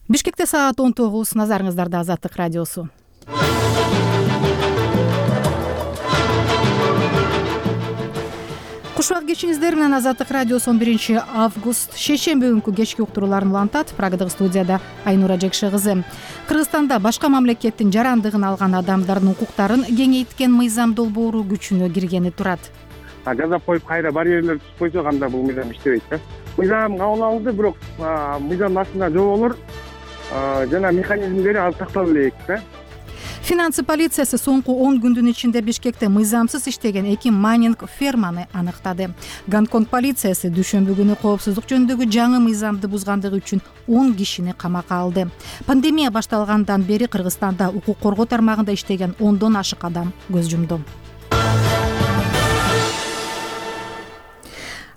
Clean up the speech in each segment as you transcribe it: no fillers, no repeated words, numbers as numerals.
Бишкекте саат 19. Назарыңыздарда Азаттык радиосу. Кушак кечиңиздер менен Азаттык радиосу 11 август шейшемби күнкү кечки уктурууларын улантат. Программадагы студияда Айнура Жекше кызы. Кыргызстанда башка мамлекеттин жарандыгын алган адамдардын укуктарын кеңейткен мыйзам долбоору күчүнө киргени турат. Жазап коюп кайра барьерлер түзүп койсо анда бул мыйзам иштебейт да. Мыйзам кабыл алынды, бирок мыйзамдын астында жоболор жана механизмдери ал сактала элек да. Финансы полициясы соңку 10 күндүн ичинде Бишкекте мыйзамсыз иштеген 2 майнинг ферманы аныктады. Гонконг полициясы дүйшөмбү күнү коопсуздук жөнүндөгү жаңы мыйзамды бузгандыгы үчүн 10 кишини камакка алды. Пандемия башталгандан бери Кыргызстанда укук коргоо тармагында иштеген 10дон ашык адам көз жумду.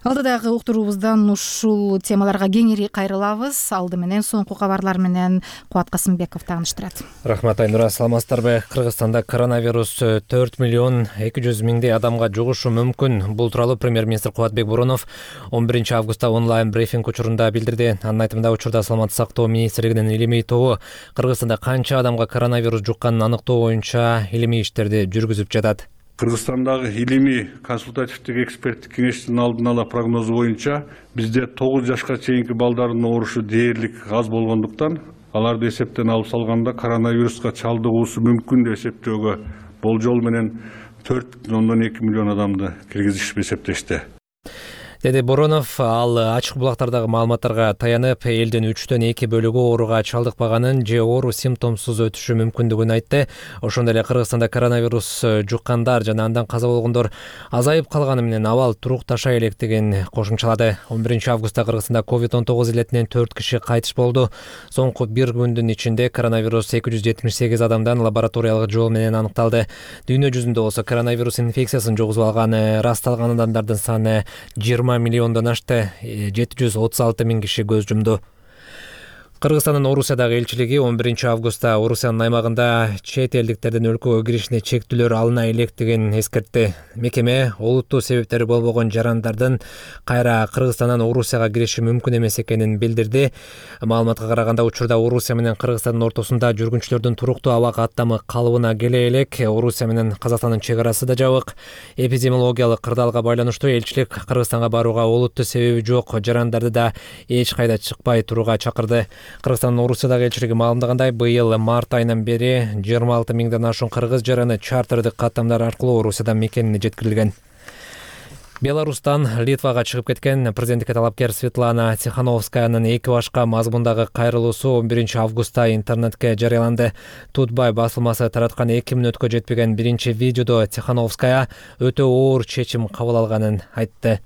Алдыдагы уктуруубуздан ушул темаларга кеңири кайрылабыз. Алды менен соңку кабарлар менен Кубат Касымбеков тааныштырат. Рахмат Айнура, саламатсыздарбы? Кыргызстанда коронавирус 4 миллион 200 миңдей адамга жугушу мүмкүн. Бул тууралуу премьер-министр Кубатбек Боронов 11 августта онлайн брифинг учурунда билдирди. Анын айтымында учурда саламаттык сактоо министрлигинин илимий тобу Кыргызстанда канча адамга коронавирус жукканын аныктоо боюнча илимий иштерди жүргүзүп жатат. Кыргызстандагы илимий консультативдик эксперттик кеңештин алдын ала прогнозу боюнча бизде 9 жашка чейинки балдардын оорушу дээрлик аз болгондуктан аларды эсептен алып салганда коронавируска чалдыгуусу мүмкүн деп эсептөөгө болжол менен 4,2 миллион адамды киргизишип эсептешти, деди Боронов. Ал ачык булактардагы маалыматтарга таянып, элдин 3дөн 2 бөлүгү ооруга чалдыкпаганын же оору симптомсуз өтүшү мүмкүндүгүн айтты. Ошондой эле Кыргызстанда коронавирус жуккандар жана андан каза болгондор азайып калганы менен абал турукташа электигин кошумчалады. 11 августта Кыргызстанда COVID-19 илетинен 4 киши кайтыш болду. Соңку 1 күндүн ичинде коронавирус 278 адамдан лабораториялык жол менен аныкталды. Дүйнө жүзүндө болсо коронавирус инфекциясын жугузуп алган ырасталган адамдардын саны 20 миллиондон ашты, 736 миң киши көз жумду. Кыргызстандын Орусиядагы элчилиги 11 августта Орусиянын аймагында чет элдиктердин өлкөгө киришине чектүүлөр алына электигин эскертти. Мекеме олуттуу себептери болбогон жарандардын кайра Кыргызстандан Орусияга кириши мүмкүн эмес экенин билдирди. Маалыматка караганда учурда Орусия менен Кыргызстандын ортосунда жүргүнчүлөрдүн туруктуу аба каттамы калыбына келе элек. Орусия менен Казакстандын чек арасы да жабык. Эпидемиологиялык кырдаалга байланыштуу элчилик Кыргызстанга барууга олуттуу себеби жок жарандарды да эч кайда чыкпай турууга чакырды. Кыргызстандын Орусиядагы элчилиги маалымдагандай, быйыл март айынан бери 26 миңден ашуун кыргыз жараны чартердик каттамдар аркылуу Орусиядан мекенине жеткирилген. Беларустан Литвага чыгып кеткен президенттикке талапкер Светлана Тихановскаянын 2 башка мазмундагы кайрылуусу 11 августта интернетке жарыяланды. Тутбай басылмасы тараткан 2 мүнөткө жетпеген биринчи видеодо Тихановская өтө оор чечим кабыл алганын айтты.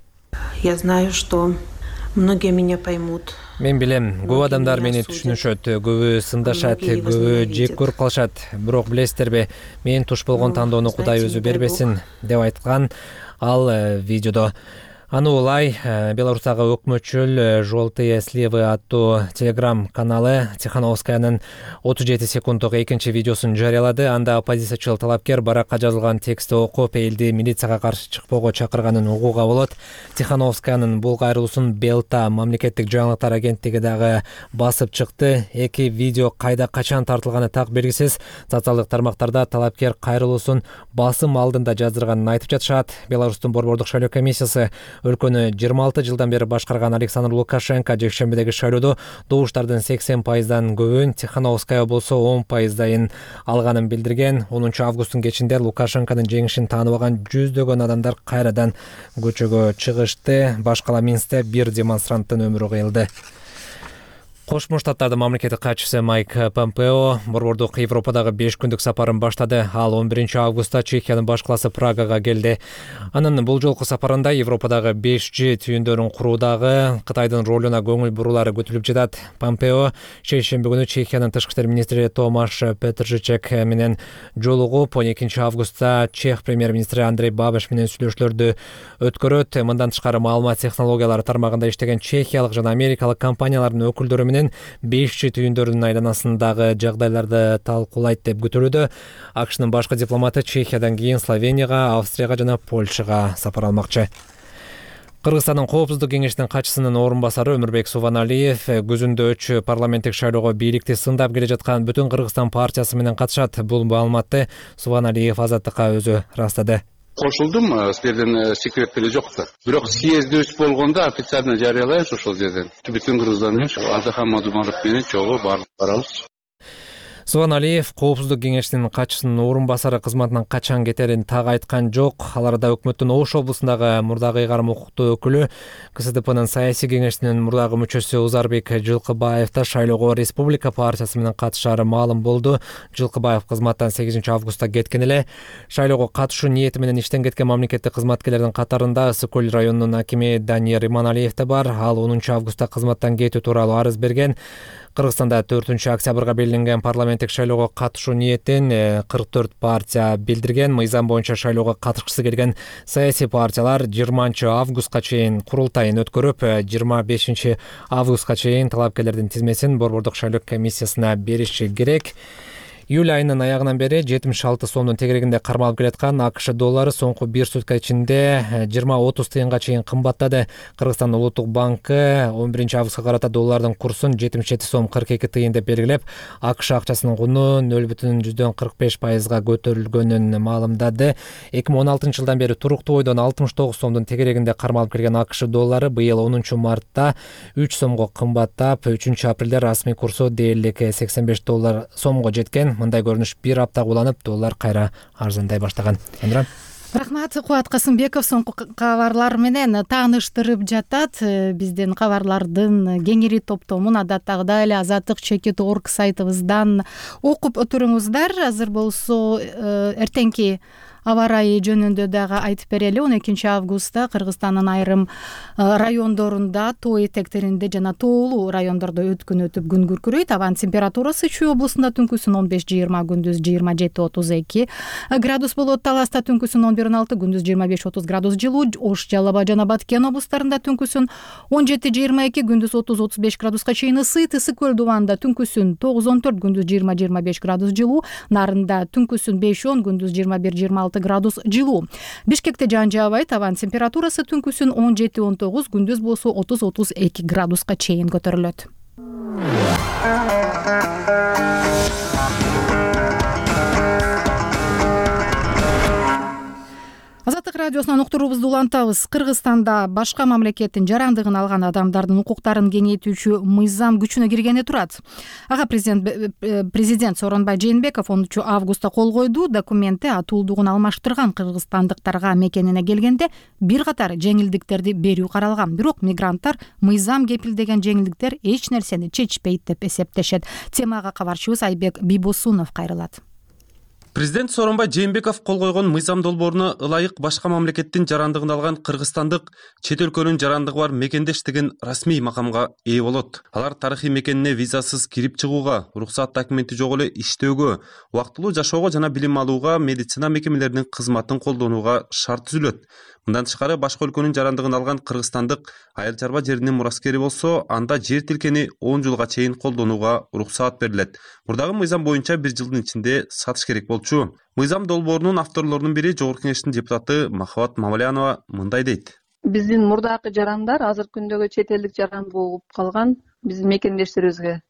Я знаю, что многие меня поймут. Мен билем, көп адамдар мени түшүнүшөт, көбү сындашат, көбү жек көрүп калышат. Бирок билесиздерби, мен туш болгон тандоону Кудай өзү бербесин, деп айткан ал видеодо. Аны улай Беларустагы өкмөтчүл «Желтые сливы» аттуу телеграм каналы Тихановскаянын 37 секунддук экинчи видеосун жарыялады. Анда оппозициячыл талапкер баракка жазылган текстти окуп, элди милицияга каршы чыкпоого чакырганын угууга болот. Тихановскаянын бул кайрылуусун Белта мамлекеттик жаңылыктар агенттиги дагы басып чыкты. Эки видео кайда качан тартылганы так белгисиз. Социалдык тармактарда талапкер кайрылуусун басым алдында жаздырганын айтып жатышат. Беларустун борбордук шайлоо комиссиясы өлкөнү 26 жылдан бери башкарган Александр Лукашенко жекшембидеги шайлоодо добуштардын 80%дан көбүн, Тихановская болсо 10%дайын алганын билдирген. 10 августтун кечинде Лукашенконун жеңишин тааныбаган жүздөгөн адамдар кайрадан көчөгө чыгышты. Башкала Минскте бир демонстранттын өмүрү кыйылды. Кошмо Штаттардын мамлекеттик катчысы Майк Помпео борбордук Европадагы 5 күндүк сапарын баштады. Ал 11 августта Чехиянын баш калаасы Прагага келди. Анын бул жолку сапарында Европадагы 5G түйүндөрүн куруудагы Кытайдын ролуна көңүл бурулары көтүлүп жатат. Помпео шейшемби күнү Чехиянын тышкы иштер министри Томаш Петржичек менен жолугуп, 12 августта Чех премьер-министри Андрей Бабиш менен сүйлөшүүлөрдү өткөрөт. Мындан тышкары маалымат технологиялары тармагында иштеген чехиялык жана америкалык компаниялардын өкүлдөрү 5G түйүндөрүнүн айланасындагы жагдайларды талкуулайт деп күтүлүүдө. АКШнын башкы дипломаты Чехиядан кийин Словенияга, Австрияга жана Польшага сапар алмакчы. Кыргызстандын Коопсуздук кеңешинин катчысынын орун басары Өмүрбек Субаналиев күзүндө 3 парламенттик шайлоого бийликти сындап келе жаткан Бүтүн Кыргызстан партиясы менен катышат. Бул маалыматты Субаналиев Азаттыкка өзү ырастады. Кошулдум, силерден секрет деле жок да. Бирок съездибиз болгондо официально жарыялайбыз ошол жерден. Бүтүн Кыргызстан Азахан Мадумаров менен чогуу барабыз. Субаналиев Коопсуздук кеңешинин катчысынын орун басары кызматынан качан кетерин так айткан жок. Аларда өкмөттүн Ош облусундагы мурдагы ыйгарым укуктуу өкүлү, КСДПнын саясий кеңешинин мурдагы мүчөсү Узарбек Жылкыбаев да шайлоого Республика партиясы менен катышаары маалым болду. Жылкыбаев кызматтан 8 августта кеткен эле. Шайлоого катышуу ниети менен иштен кеткен мамлекеттик кызматкерлердин катарында Ысык көл районунун акими Даниер Иманалиев да бар. Ал 10 августта кызматтан кетүү тууралуу арыз берген. Кыргызстанда 4 октябрга белгиленген парламенттик шайлоого катышуу ниетин 44 партия билдирген. Мыйзам боюнча шайлоого катышкысы келген саясий партиялар 20 августка чейин курултайын өткөрүп, 25 августка чейин талапкерлердин тизмесин Борбордук шайлоо комиссиясына бериши керек. Июль айынын аягынан бери 76 сомдун тегерегинде кармалып келаткан АКШ доллары соңку 1 сутка ичинде 20-30 тыйынга чейин кымбаттады. Кыргызстан Улуттук банкы 11 августка карата доллардын курсун 77 сом 42 тыйын деп белгилеп, АКШ акчасынын куну 0,45%га көтөрүлгөнүн маалымдады. 2016 жылдан бери туруктуу бойдон 69 сомдун тегерегинде кармалып келген АКШ доллары быйыл 10 мартта 3 сомго кымбаттап, 3 апрелде расмий курсу дээрлик 85 доллар сомго жеткен. Мындай көрүнүш бир апта уланып, доллар кайра арзандай баштаган. Рахмат, Кубат Касымбеков соңку кабарлар менен тааныштырып жатат. Биздин кабарлардын кеңири топтомун адаттагыдай эле azatlyk.org сайтыбыздан окуп отуруңуздар. Азыр болсо эртеңки аба ырайы жөнүндө дагы айтып берели. 12 августта Кыргызстандын айрым райондорунда тоо этектеринде жана тоолуу райондордо өткүн өтүп күн күркүрөйт. Абанын температурасы Чүй облусунда түнкүсүн 15-20, күндүз 27-32 градус болот. Таласта түнкүсүн 11-16, күндүз 25-30 градус жылуу. Ош, Жалал Абад жана Баткен облустарында түнкүсүн 17-22, күндүз 30-35 градуска чейин ысыйт. Ысык көл дубанда түнкүсүн 9-14, күндүз 20-25 градус жылуу. Нарында түнкүсүн 5-10, күндүз 21-26 градус жылуу. Бишкекте жаан жаабайт. Абанын температурасы түнкүсүн 17-19, күндүз болсо 30-32 градуска чейин көтөрүлөт. Азаттык радиосунан уктуруубузду улантабыз. Кыргызстанда башка мамлекеттин жарандыгын алган адамдардын укуктарын кеңейтүүчү мыйзам күчүнө киргени турат. Ага президент Сооронбай Жээнбеков 10 августта кол койду. Документте атуулдугун алмаштырган кыргызстандыктарга мекенине келгенде бир катар жеңилдиктерди берүү каралган. Бирок мигранттар мыйзам кепилдеген жеңилдиктер эч нерсени чечпейт деп эсептешет. Темага кабарчыбыз Айбек Бибосунов кайрылат. Президент Сооронбай Жээнбеков кол койгон мыйзам долбооруна ылайык башка мамлекеттин жарандыгын алган кыргызстандык чет өлкөнүн жарандыгы бар мекендеш деген расмий макамга ээ болот. Алар тарыхый мекенине визасыз кирип чыгууга, уруксат документи жок эле иштөөгө, убактылуу жашоого жана билим алууга, медицина мекемелеринин кызматын колдонууга шарт түзүлөт. Мындан тышкары башка өлкөнүн жарандыгын алган кыргызстандык айыл чарба жеринин мураскери болсо, анда жер тилкени 10 жылга чейин колдонууга уруксаат берилет. Мурдагы мыйзам боюнча 1 жылдын ичинде сатыш керек болчу. Мыйзам долбоорунун авторлорунун бири Жогорку Кеңештин депутаты Махабат Мамалянова мындай дейт. Биздин мурдагы жарандар азыркы күндөгү чет элдик жаран болуп калган биздин мекендештерибизге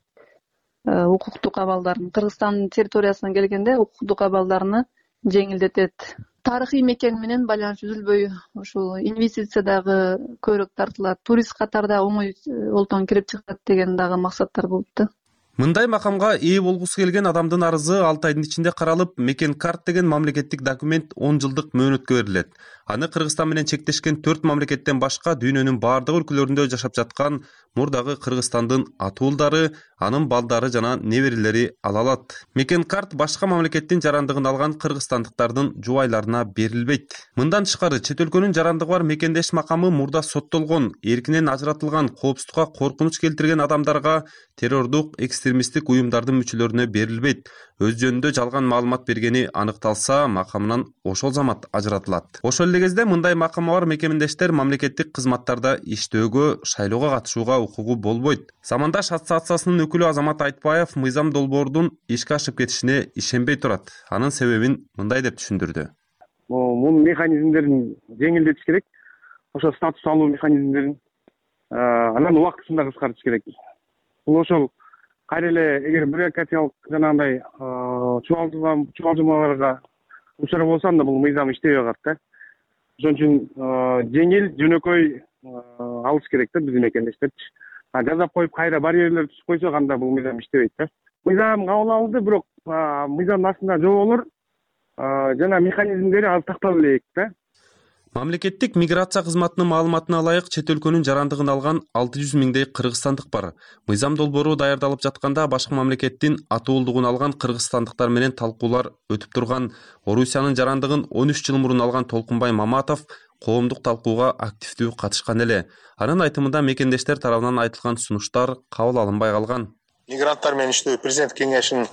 укуктук абалдарын Кыргызстандын территориясына келгенде укуктук абалдарыны жеңилдетет. Тарыхый мекен менен байланыш үзүлбөй ушул инвестиция дагы көбүрөөк тартылат, турист катарда оңой олтон кирип чыгат деген дагы максаттар болуп да. Мындай макамга ээ болгусу келген адамдын арызы 6 айдын ичинде каралып, мекен карт деген мамлекеттик документ 10 жылдык мөөнөткө берилет. Аны Кыргызстан менен чектешкен 4 мамлекеттен башка дүйнөнүн бардык өлкөлөрүндө жашап жаткан мурдагы Кыргызстандын атуулдары, анын балдары жана неберелери ала алат. Мекен карт башка мамлекеттин жарандыгын алган кыргызстандыктардын жубайларына берилбейт. Мындан тышкары чет өлкөнүн жарандыгы бар мекендеш макамы мурда соттолгон, эркинен ажыратылган, коопсуздукка коркунуч келтирген адамдарга, террордук, экстремисттик уюмдардын мүчөлөрүнө берилбейт. Өз жөнүндө жалган маалымат бергени аныкталса, макамынан ошол замат ажыратылат. Ошол эле кезде мындай макамы бар мекендештер мамлекеттик кызматтарда иштөөгө, шайлоого катышууга укугу болбойт. Замандаш ассоциациясынын өкүлү Азамат Айтбаев мыйзам долбоорунун ишке ашып кетишине ишенбей турат. Анын себебин мындай деп түшүндүрдү. Мунун механизмдерин жеңилдетиш керек. ошо статус алуу механизмдерин анан убактысында кыскартыш керек. Бул ошол кайра эле эгер бюрократиялык жанагындай чубалжымаларга учурап болсо анда бул мыйзам иштебей калат да. Ошон үчүн жеңил, жөнөкөй алыш керек да биздин мекендештерчи. Жазап коюп кайра барьерлер түзүп койсок анда бул мыйзам иштебейт да. Мыйзам кабыл алынды, бирок мыйзамдын астында жоболор жана механизмдери аз тактала элек да. Мамлекеттик миграция кызматынын маалыматына ылайык чет өлкөнүн жарандыгын алган 600 миңдей кыргызстандык бар. Мыйзам долбоору даярдалып жатканда башка мамлекеттин атуулдугун алган кыргызстандыктар менен талкуулар өтүп турган. Орусиянын жарандыгын 13 жыл мурун алган Толкунбай Маматов коомдук талкууга активдүү катышкан эле. Анын айтымында мекендештер тарабынан айтылган сунуштар кабыл алынбай калган. Мигранттар менен иштөө президент кеңешинин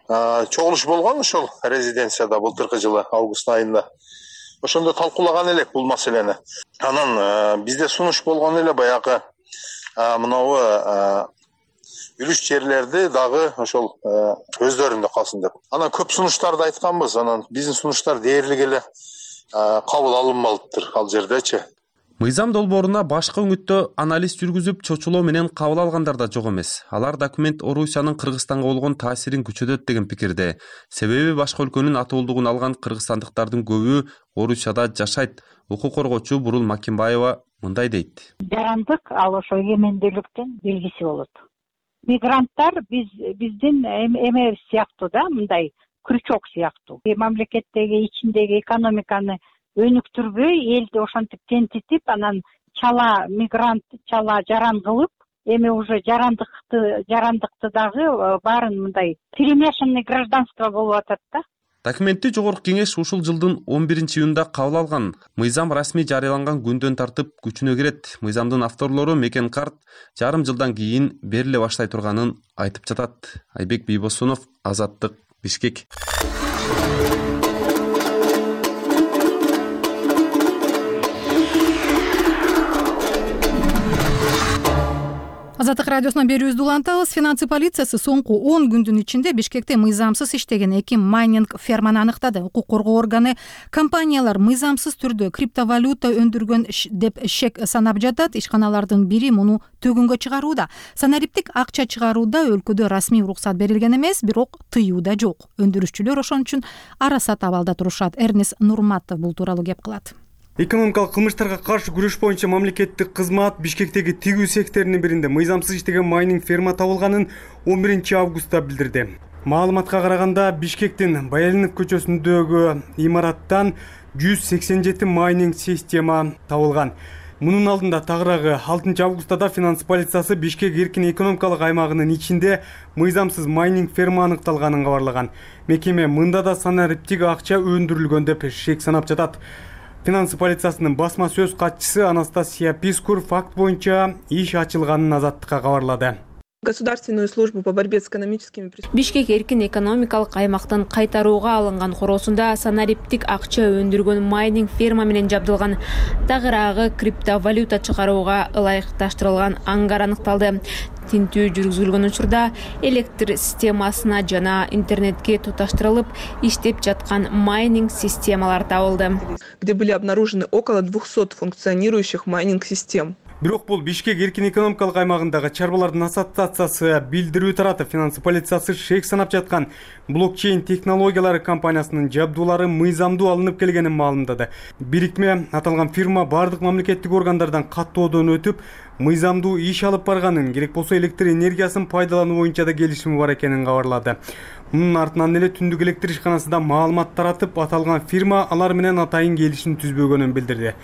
чогулушу болгон ошол резиденцияда былтыркы жылы август айында. Ошондо талкуулаган элек бул маселени. Анан бизде сунуш болгон эле баягы мынабу үлүш жерлерди дагы ошол өздөрүндө калсын деп. Анан көп сунуштарды айтканбыз. Анан биздин сунуштар дээрлик эле кабыл алынбалыптыр ал жердечи. Мыйзам долбооруна башка үңүттө анализ жүргүзүп чочулоо менен кабыл алгандар да жок эмес. Алар документ Орусиянын Кыргызстанга болгон таасирин күчөтөт деген пикирде. Себеби башка өлкөнүн атуулдугун алган кыргызстандыктардын көбү Орусияда жашайт. Укук коргоочу Бурул Макимбаева мындай дейт. Жарандык ал ошо эмендүүлүктүн белгиси болот. Мигранттар биздин эме сыяктуу да, мындай крючок сыяктуу. Мамлекеттеги ичиндеги экономиканы өнүктүрбөй, элди ошентип тентитип, анан чала мигрант, чала жаран кылып, эми уже жарандыкты дагы баарын мындай перемешанный гражданство болуп атат да. Документти Жогорку Кеңеш ушул жылдын 11-июнда кабыл алган. Мыйзам расмий жарыяланган күндөн тартып күчүнө кирет. Мыйзамдын авторлору Мекен Карт жарым жылдан кийин бериле баштай турганын айтып жатат. Айбек Бийбосунов, Азаттык, Бишкек. Азаттык радиосунан берүүбүздү улантабыз. Финансы полициясы соңку 10 күндүн ичинде Бишкекте мыйзамсыз иштеген 2 майнинг ферманы аныктады. Укук коргоо органы компаниялар мыйзамсыз түрдө криптовалюта өндүргөн деп шек санап жатат. Ишканалардын бири муну төгүнгө чыгарууда. Санариптик акча чыгарууда өлкөдө расмий уруксат берилген эмес, бирок тыюу да жок. Өндүрүшчүлөр ошон үчүн арасат абалда турушат. Эрнес Нурматов бул тууралуу кеп кылат. Экономикалык кылмыштарга каршы күрөш боюнча мамлекеттик кызмат Бишкектеги тигүү секторунун биринде мыйзамсыз иштеген майнинг ферма табылганын 11 августта билдирди. Маалыматка караганда Бишкектин Баялинов көчөсүндөгү имараттан 187 майнинг система табылган. Мунун алдында тагыраагы 6 августта да финанс полициясы Бишкек эркин экономикалык аймагынын ичинде мыйзамсыз майнинг ферма аныкталганын кабарлаган. Мекеме мында да санариптик акча өндүрүлгөн деп шек санап жатат. Финансы полициясынын басма сөз катчысы Анастасия Пискур факт боюнча иш ачылганын Азаттыкка кабарлады. Государственную службу по борьбе с экономическими преступлениями. Бишкек эркин экономикалык аймактын кайтарууга алынган короосунда санариптик акча өндүргөн майнинг ферма менен жабдылган. Тагыраагы криптовалюта чыгарууга ылайыкташтырылган ангар аныкталды. Тинтүү жүргүзүлгөн учурда электр системасына жана интернетке туташтырылып иштеп жаткан майнинг системалар табылды. Где были обнаружены около 200 функционирующих майнинг систем. Бирок бул Бишкек эркин экономикалык аймагындагы чарбалардын ассоциациясы билдирүү таратып, финансы полициясы шек санап жаткан блокчейн технологиялары компаниясынын жабдуулары мыйзамдуу алынып келгенин маалымдады. Бирикме аталган фирма бардык мамлекеттик органдардан каттоодон өтүп, мыйзамдуу иш алып барганын, керек болсо электр энергиясын пайдалануу боюнча да келишими бар экенин кабарлады. Мунун артынан эле түндүк электр ишканасында маалымат таратып, аталган фирма алар менен атайын келишим түзбөгөнүн билдирди.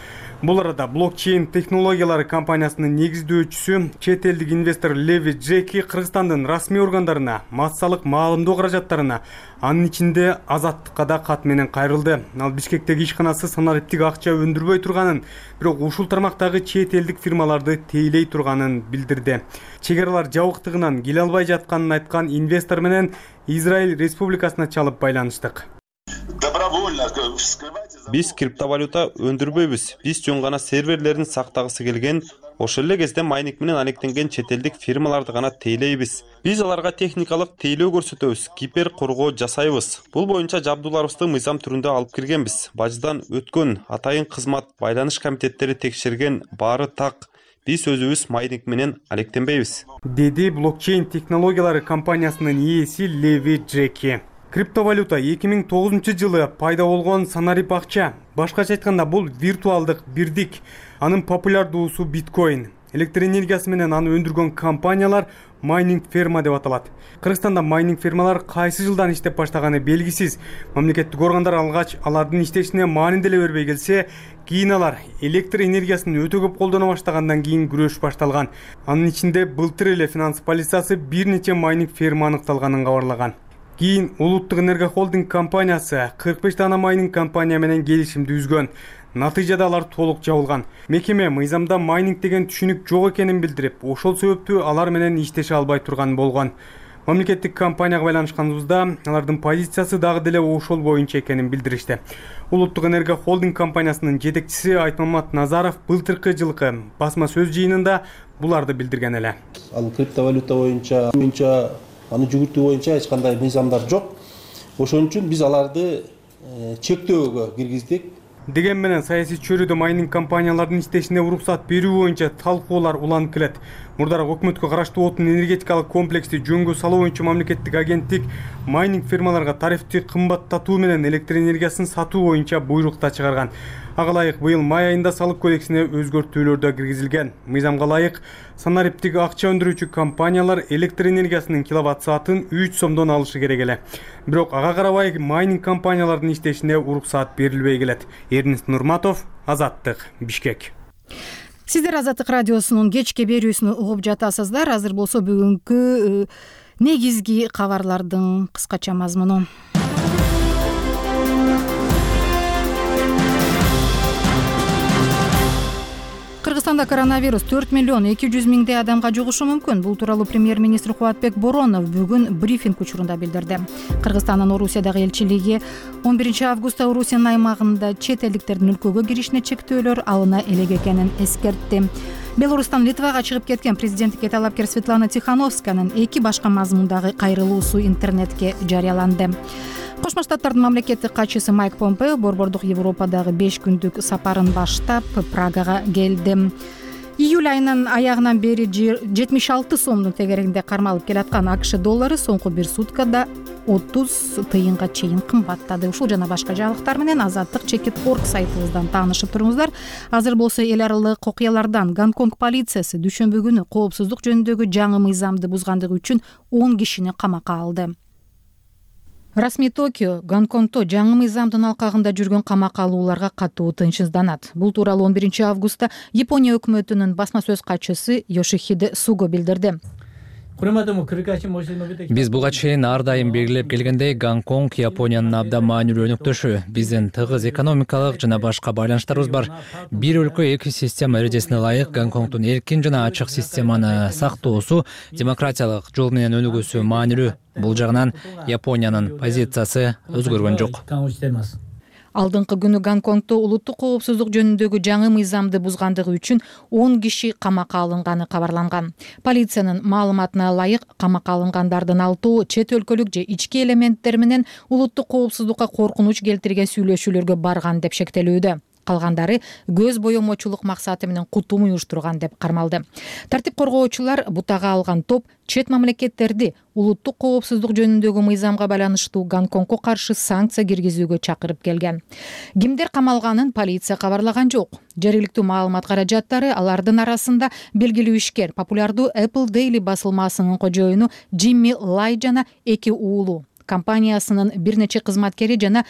Бул арада блокчейн технологиялары компаниясынын негиздөөчүсү, чет элдик инвестор Леви Джеки Кыргызстандын расмий органдарына, массалык маалымдоо каражаттарына, анын ичинде Азаттыкка да кат менен кайрылды. Ал Бишкектеги ишканасы санариптик акча өндүрбөй турганын, бирок ушул тармактагы чет элдик фирмаларды тейлей турганын билдирди. Чек аралар жабыктыгынан келе албай жатканын айткан инвестор менен Израиль Республикасына чалып байланыштык. Биз криптовалюта өндүрбөйбүз. Биз жөн гана серверлерин сактагысы келген Ошол эле кезде майнинг менен алектенген чет элдик фирмаларды гана тейлейбиз. Биз аларга техникалык тейлөө көрсөтөбүз, кибер коргоо жасайбыз. Бул боюнча жабдууларыбызды мыйзам түрүндө алып киргенбиз. Баждан өткөн атайын кызмат, байланыш комитеттери текшерген, баары так. Биз өзүбүз майнинг менен алектенбейбиз, деди блокчейн технологиялары компаниясынын ээси Леви Джеки. Криптовалюта 2009 жылы пайда болгон санарип акча. Башкача айтканда бул виртуалдык бирдик. Анын популярдуусу биткоин. Электр энергиясы менен аны өндүргөн компаниялар майнинг ферма деп аталат. Кыргызстанда майнинг фермалар кайсы жылдан иштеп баштаганы белгисиз. Мамлекеттик органдар алгач алардын иштешине маани деле бербей келсе, кийин алар электр энергиясын өтө көп колдоно баштагандан кийин күрөш башталган. Анын ичинде былтыр эле финанс полициясы бир нече майнинг ферма аныкталганын кабарлаган. Кийин Улуттук энерго холдинг компаниясы 45 дана майнинг компания менен келишимди үзгөн. Натыйжада алар толук жабылган. Мекеме мыйзамда майнинг деген түшүнүк жок экенин билдирип, ошол себептүү алар менен иштеше албай турган болгон. Мамлекеттик компанияга байланышканыбызда алардын позициясы дагы деле ошол боюнча экенин билдиришти. Улуттук энерго холдинг компаниясынын жетекчиси Айтмамат Назаров былтыркы жылкы басма сөз жыйынында буларды билдирген эле. Ал криптовалюта боюнча аны жүгүртүү боюнча эч кандай мыйзамдар жок. Ошон үчүн биз аларды чектөөгө киргиздик. Деген менен саясий чөйрөдө майнинг компаниялардын иштешине уруксат берүү боюнча талкуулар уланып келет. Мурдараак өкмөткө караштуу отун энергетикалык комплексти жөнгө салуу боюнча мамлекеттик агенттик майнинг фермаларга тарифти кымбаттатуу менен электр энергиясын сатуу боюнча буйрук да чыгарган. Ага ылайык быйыл май айында салык кодексине өзгөртүүлөр да киргизилген. Мыйзамга ылайык санариптик акча өндүрүүчү компаниялар электр энергиясынын киловатт саатын 3 сомдон алышы керек эле. Бирок ага карабай майнинг компаниялардын иштешине уруксаат берилбей келет. Эрнест Нурматов, Азаттык, Бишкек. Сиздер Азаттык радиосунун кечки берүүсүн угуп жатасыздар. Азыр болсо бүгүнкү негизги кабарлардын кыскача мазмуну. Кыргызстанда коронавирус 4 миллион 200 миңдей адамга жугушу мүмкүн. Бул тууралуу премьер-министр Кубатбек Боронов бүгүн брифинг учурунда билдирди. Кыргызстандын Орусиядагы элчилиги 11 августта Орусиянын аймагында чет элдиктердин өлкөгө киришине чектөөлөр алына элек экенин эскертти. Беларустан Литвага чыгып кеткен президенттикке талапкер Светлана Тихановсканын 2 башка мазмундагы кайрылуусу интернетке жарыяланды. Кошмо Штаттардын мамлекеттик катчысы Майк Помпео борбордук Европадагы 5 күндүк сапарын баштап Прагага келди. Июль айынын аягынан бери 76 сомдун тегерегинде кармалып келаткан АКШ доллары соңку бир суткада 30 тыйынга чейин кымбаттады. Ушул жана башка жаңылыктар менен Азаттык.org сайтыбыздан таанышып туруңуздар. Азыр болсо эл аралык окуялардан Гонконг полициясы дүйшөмбү күнү коопсуздук жөнүндөгү жаңы мыйзамды бузгандыгы үчүн 10 кишини камакка алды. Расмий Токио Гонконгто жаңы мыйзамдын алкагында жүргөн камакка алууларга катуу тынчсызданат. Бул тууралуу 11 августта Япония өкмөтүнүн басма сөз катчысы Йошихиде Суго билдирди. Биз буга чейин ар дайым белгилеп келгендей, Гонконг Япониянын абдан маанилүү өнөктөшү. Биздин тыгыз экономикалык жана башка байланыштарыбыз бар. Бир өлкө эки система эрежесине ылайык Гонконгдун эркин жана ачык системаны сактоосу, демократиялык жол менен өнүгүүсү маанилүү. Бул жагынан Япониянын позициясы өзгөргөн жок. Алдыңкы күнү Гонконгто улуттук коопсуздук жөнүндөгү жаңы мыйзамды бузгандыгы үчүн 10 киши камакка алынганы кабарланган. Полициянын маалыматына ылайык, камакка алынгандардын 6 чет өлкөлүк же ички элементтер менен улуттук коопсуздукка коркунуч келтирген сүйлөшүүлөргө барган деп шектелүүдө. Калгандары көз боемочулук максаты менен кутум уюштурган деп кармалды. Тартип коргоочулар бутага алган топ чет мамлекеттерди улуттук коопсуздук жөнүндөгү мыйзамга байланыштуу Гонконгко каршы санкция киргизүүгө чакырып келген. Кимдер камалганын полиция кабарлаган жок. Жергиликтүү маалымат каражаттары алардын арасында белгилүү ишкер, популярдуу Apple Daily басылмасынын кожоюну Джимми Лай жана 2 уулу, компаниясынын бир нече кызматкери жана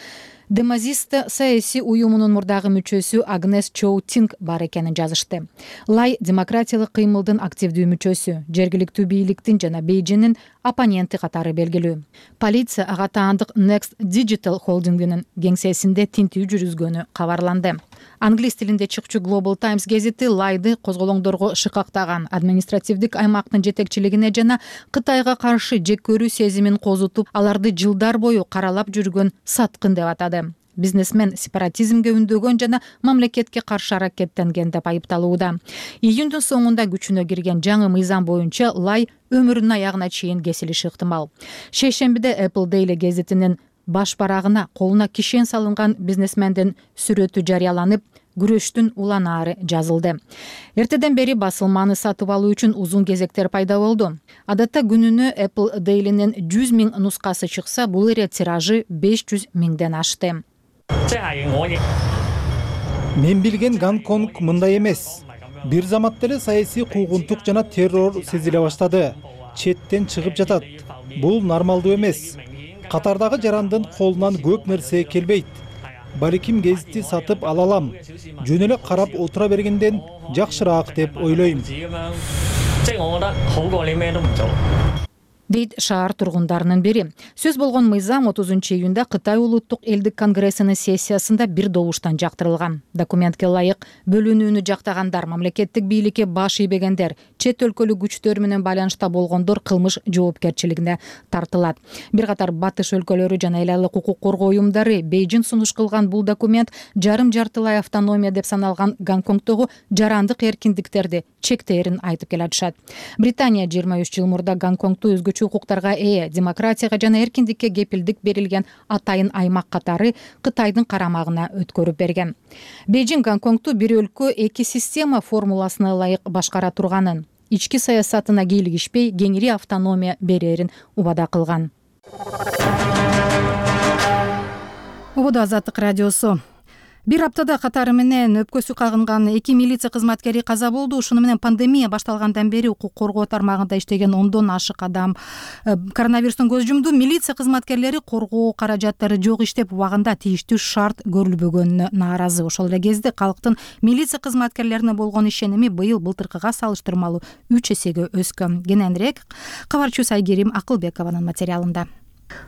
Демазиста саясий уюмунун мурдагы мүчөсү Агнес Чоу Тинг бар экенин жазышты. Лай демократиялык кыймылдын активдүү мүчөсү, жергиликтүү бийликтин жана Бейжиңдин оппоненти катары белгилүү. Полиция ага таандык Next Digital холдингинин кеңсесинде тинтүү жүргүзгөнү кабарланды. Англис тилинде чыкчу Global Times гезити Лайды козголоңдорго шыкактаган административдик аймактын жетекчилигине жана Кытайга каршы жек көрүү сезимин козутуп, аларды жылдар бою каралап жүргөн саткын деп атады. бизнесмен сепаратизмге үндөгөн жана мамлекетке каршы аракеттенген деп айыпталууда. Июндун соңунда күчүнө кирген жаңы мыйзам боюнча лай өмүрүнүн аягына чейин кесилиши ыктымал. Шейшембиде Apple Daily гезитинин баш барагына колуна кишен салынган бизнесмендин сүрөтү жарыяланып, күрөштүн уланаары жазылды. Эртеден бери басылманы сатып алуу үчүн узун кезектер пайда болду. Адатта күнүнө Apple Daily'нин 100 000 нускасы чыкса, бул эре тиражы 500 000ден ашты. Мен билген Гонконг мындай эмес. Бир замат деле саясий куугунтук жана террор сезиле баштады. Четтен чыгып жатат. Бул нормалдуу эмес. Катардагы жарандын колунан көп нерсе келбейт. Балким гезитти сатып ала алам. Жөн эле карап отура бергенден жакшыраак деп ойлойм. Дейт шаар тургундарынын бири. Сөз болгон мыйзам 30-июнда Кытай улуттук элдик конгрессинин сессиясында бир добуштан жактырылган. Документке ылайык бөлүнүүнү жактагандар, мамлекеттик бийликке баш ийбегендер, чет өлкөлүк күчтөр менен байланышта болгондор кылмыш жоопкерчилигине тартылат. Бир катар батыш өлкөлөрү жана эл айылдык укук коргоо уюмдары Бейжин сунуш кылган бул документ жарым-жартылай автономия деп саналган Гонконгдогу жарандык эркиндиктерди чектээрин айтып келатышат. Британия 23 жыл мурда Гонконгду өзгөчө укуктарга ээ, демократияга жана эркиндикке кепилдик берилген атайын аймак катары Кытайдын карамагына өткөрүп берген. Бейжин Гонконгду бир өлкө эки система формуласына ылайык башкара турганын, ички саясатына кийлигишпей кеңири автономия берерин убада кылган. Ободо Азаттык радиосу. Бир аптада катары менен өпкөсү кагынган 2 милиция кызматкери каза болду. Ушуну менен пандемия башталгандан бери укук коргоо тармагында иштеген 10дон ашык адам коронавирустан көз жумду. Милиция кызматкерлери коргоо каражаттары жок иштеп, убагында тийиштүү шарт көрүлбөгөнүнө нааразы. Ошол эле кезде калктын милиция кызматкерлерине болгон ишеними быйыл былтыркыга салыштырмалуу 3 эсеге өскөн. Кененирээк кабарчыбыз Айгерим Акылбекованын материалында.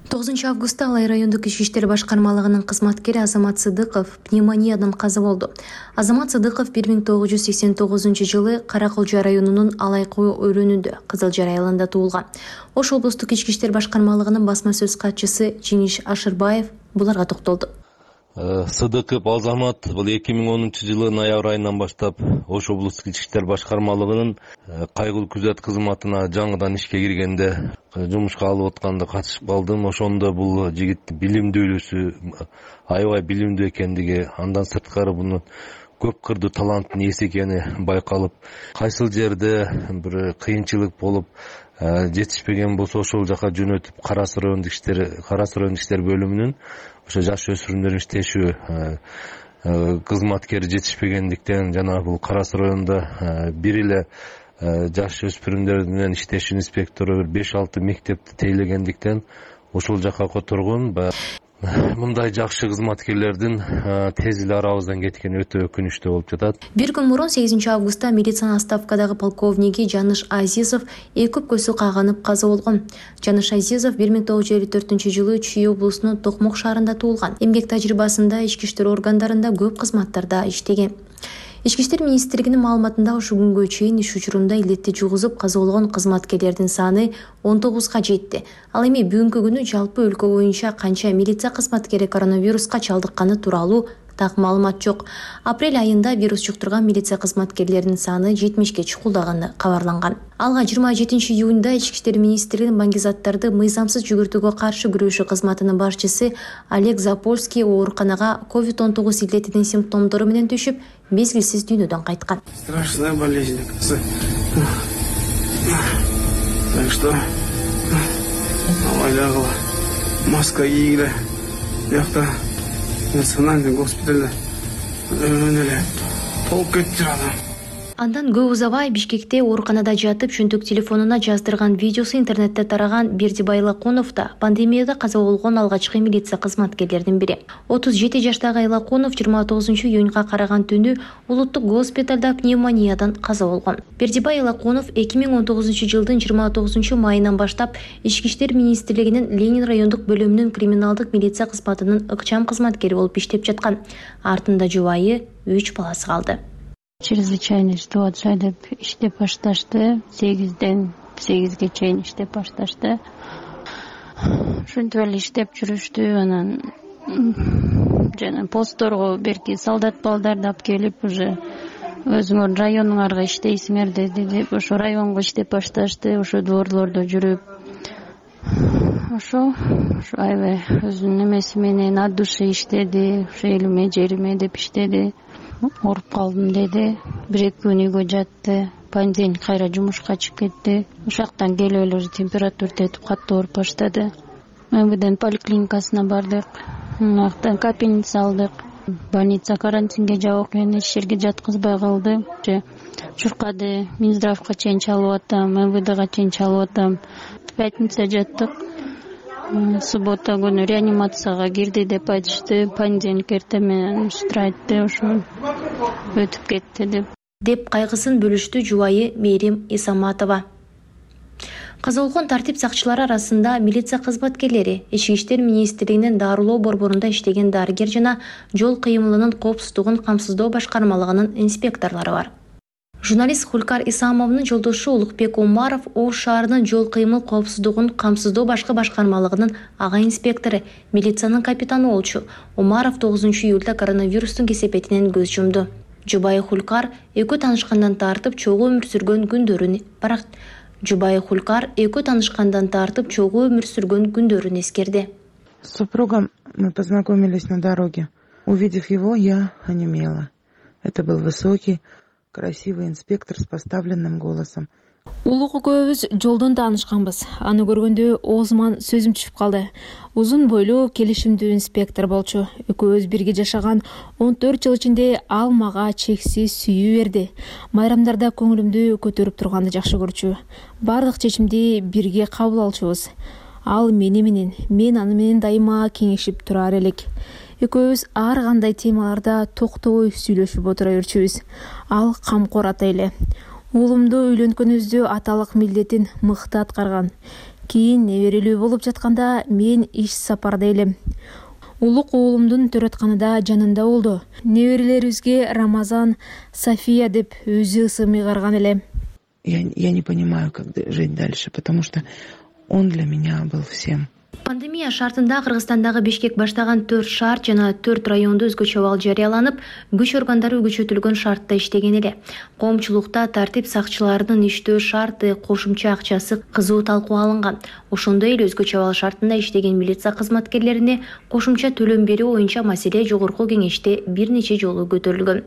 9 августта Алай райондук ички иштер башкармалыгынын кызматкери Азамат Сыдыков пневмониядан каза болду. Азамат Сыдыков 1989 жылы Караколжа районунун Алайкуу өрөөнүндө Кызылжар айылында туулган. Ош облустук ички иштер башкармалыгынын басма сөз катчысы Жиниш Ашырбаев буларга токтолду. Сыдыков Азамат бул 2010 жылы ноябрь айынан баштап Ош облустук ички иштер башкармалыгынын кайгылуу күзөт кызматына жаңыдан ишке киргенде жумушка алып атканда катышып калдым. Ошондо бул жигит билимдүүлүсү, аябай билимдүү экендиги, андан сырткары мунун көп кырдуу таланттын ээси экени байкалып, кайсыл жерде бир кыйынчылык болуп жетишпеген болсо ошол жака жөнөтүп Карас райондук иштер бөлүмүнүн ошо жаш өспүрүмдөрдүн иштешүү кызматкери жетишпегендиктен жана бул Карас районунда бир эле жаш өспүрүмдөр менен иштешүү инспектору 5-6 мектепти тейлегендиктен ошол жака которгон. Мындай жакшы кызматкерлердин тез эле арабыздан кеткени өтө өкүнүчтүү болуп жатат. Бир күн мурун 8 августта милициянын отставкадагы полковниги Жаныш Азизов эки көзү каганып каза болгон. Жаныш Азизов 1954 жылы Чүй облусунун Токмок шаарында туулган. Эмгек тажрыйбасында ички иштер органдарында көп кызматтарда иштеген. Ички иштер министрлигинин маалыматында ушу күнгө чейин иш учурунда илетти жугузуп каза болгон кызматкерлердин саны 19га жетти. Ал эми бүгүнкү күнү жалпы өлкө боюнча канча милиция кызматкери коронавируска чалдыкканы тууралуу так маалымат жок. Апрель айында вирус жуктурган милиция кызматкерлеринин саны 70ге чукулдаганы кабарланган. Алга 27 июнда ички иштер министрлигинин баңгизаттарды мыйзамсыз жүгүртүүгө каршы күрөшүү кызматынын башчысы Олег Запольский ооруканага COVID-19 илетинин симптомдору менен түшүп, мезгилсиз дүйнөдөн кайткан. Страшная болезнь, так что авайлагыла маска кийгиле, бияқта национальный госпитальда эле толуп кетти адам. Андан көп узабай Бишкекте ооруканада жатып чөнтөк телефонуна жаздырган видеосу интернетте тараган Бердибай Лакунов да пандемияда каза болгон алгачкы милиция кызматкерлеринин бири. 37 жаштагы Лакунов 29 июнга караган түнү улуттук госпиталда пневмониядан каза болгон. Бердибай Лакунов 2019 жылдын 29 майынан баштап ички иштер министрлигинин Ленин райондук бөлүмүнүн криминалдык милиция кызматынын ыкчам кызматкери болуп иштеп жаткан. Артында жубайы 3 баласы калды. Чрезвычайный ситуация деп иштеп башташты. 8ден 8ге чейин иштеп башташты. Ушинтип эле иштеп жүрүштү. Анан жана постторго берки солдат балдарды алып келип уже өзүңөр районуңарга иштейсиңер деп ошо районго иштеп башташты. Ошо дворлордо жүрүп ошо аябай өзүнүн эмеси менен от души иштеди. Ошо элиме жериме деп иштеди. Ооруп калдым деди. 1-2 күн үйгө жатты. Понедельник кайра жумушка чыгып кетти. Ошактан келип эле уже температура тетип катуу ооруп баштады. МВДнын поликлиникасына бардык. Аяктан капельница алдык. Больница карантинге жабып мени эч жерге жаткызбай калды. Чуркады. Минздравга чейин чалып атам, МВДга чейин чалып атам. Пятница жаттык. Суббота күнү реанимацияга кирди деп айтышты. Понедельник эртең устра айтты. Ошо өтүп кетти деп кайгысын бөлүштү жубайы Мээрим Исаматова. Каза болгон тартип сакчылары арасында милиция кызматкерлери, Ички иштер министрлигинин дарылоо борборунда иштеген дарыгер жана жол кыймылынын коопсуздугун камсыздоо башкармалыгынын инспекторлору бар. Журналист Хулкар Исамовдун жолдошу Улукбек Умаров Ош шаарынын жол кыймыл коопсуздугун камсыздоо башкармалыгынын ага инспектору, милициянын капитаны болчу. Умаров 9-июлда коронавирустун кесепетинен көз жумду. Жубайы Хулкар экөө таанышкандан тартып чогуу өмүр сүргөн күндөрүн эскерди. С супругом мы познакомились на дороге. Увидев его, я онемела. Это был высокий, красивый инспектор с поставленным голосом. Улук экөөбүз жолдон таанышканбыз. Аны көргөндө оозуман сөзүм түшүп калды. Узун бойлуу, келишимдүү инспектор болчу. Экөөбүз бирге жашаган 14 жыл ичинде ал мага чексиз сүйүү берди. Майрамдарда көңүлүмдү көтөрүп турганды жакшы көрчү. Бардык чечимди бирге кабыл алчубуз. Ал мени менен, мен аны менен дайыма кеңешип турар элек. Экөөбүз ар кандай темаларда токтобой сүйлөшүп отура берчүбүз. Ал камкор ата эле. Уулумду үйлөнкөнүбүздө аталык милдетин мыкты аткарган. Кийин неберелүү болуп жатканда мен иш сапарда элем. Улук уулумдун төрөтканында жанында болду. Неберелерибизге Рамазан, София деп өзү ысым ыйгарган эле. Я не понимаю, как жить дальше, потому что он для меня был всем. Пандемия шартында Кыргызстандагы Бишкек баштаган 4 шаар жана 4 райондо өзгөчө абал жарыяланып, күч органдары күчөтүлгөн шартта иштеген эле. Коомчулукта тартип сакчыларынын иштөө шарты, кошумча акчасы кызуу талкууга алынган. Ошондой эле өзгөчө абал шартында иштеген милиция кызматкерлерине кошумча төлөм берүү боюнча маселе жогорку кеңеште бир нече жолу көтөрүлгөн.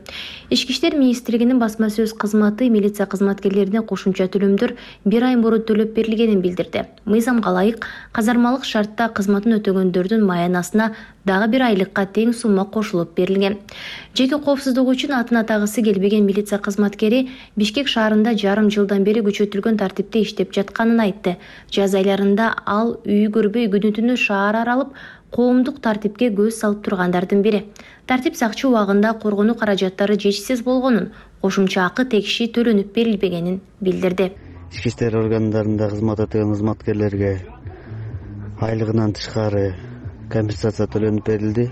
Ички иштер министрлигинин басма сөз кызматы милиция кызматкерлерине кошумча төлөмдөр 1 ай мурун төлөп берилгенин билдирди. Мыйзамга ылайык казармалык шартта кызматын өтөгөндөрдүн маянасына дагы 1 айлыкка тең сумма кошулуп берилген. Жеке коопсуздугу үчүн атын атагысы келбеген милиция кызматкери Бишкек шаарында жарым жылдан бери күчөтүлгөн тартипте иштеп жатканын айтты. Жаз айларында ал үй көрбөй күнү-түнү шаар аралып, коомдук тартипке көз салып тургандардын бири. Тартип сакчы убагында коргонуу каражаттары жетишсиз болгонун, кошумча акы тегиши төлөнүп берилбегенин билдирди. Ички иштер органдарында кызмат эткен кызматкерлерге айлыгынан тышкары компенсация төлөнүп берилди.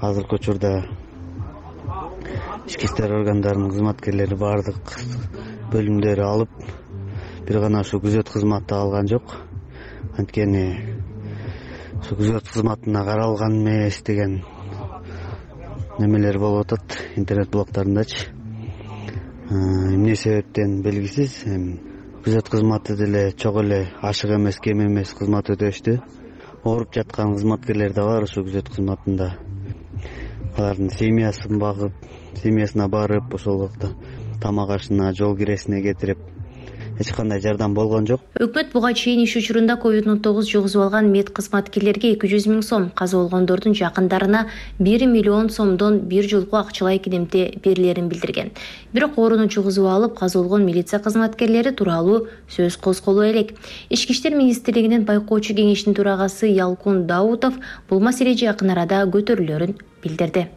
Азыркы учурда ички иштер органдарынын кызматкерлери бардык бөлүмдөрү алып, бир гана ушу күзөт кызматты алган жок. Анткени ушу күзөт кызматына каралган эмес деген немелер болуп атат интернет блогдорундачы. Эмне себептен белгисиз. Күзөт кызматы деле чок эле ашык эмес, кем эмес кызмат өтөштү. Ооруп жаткан кызматкерлер да бар ушу күзөт кызматында. Алардын семьясына барып, ошол убакта тамак ашына, жол киресине кетирип, эч кандай жардам болгон жок. Өкмөт буга чейин иш учурунда COVID-19 жугузуп алган мед кызматкерлерге 200 000 сом, каза болгондордун жакындарына 1 миллион сомдон бир жолку акчалай кедемте берилерин билдирген. Бирок ооруну жугузуп алып, каза болгон милиция кызматкерлери тууралуу сөз козголо элек. Ички иштер министрлигинин байкоочу кеңешинин төрагасы Ялкун Даутов бул маселе жакын арада көтөрүлөрүн билдирди.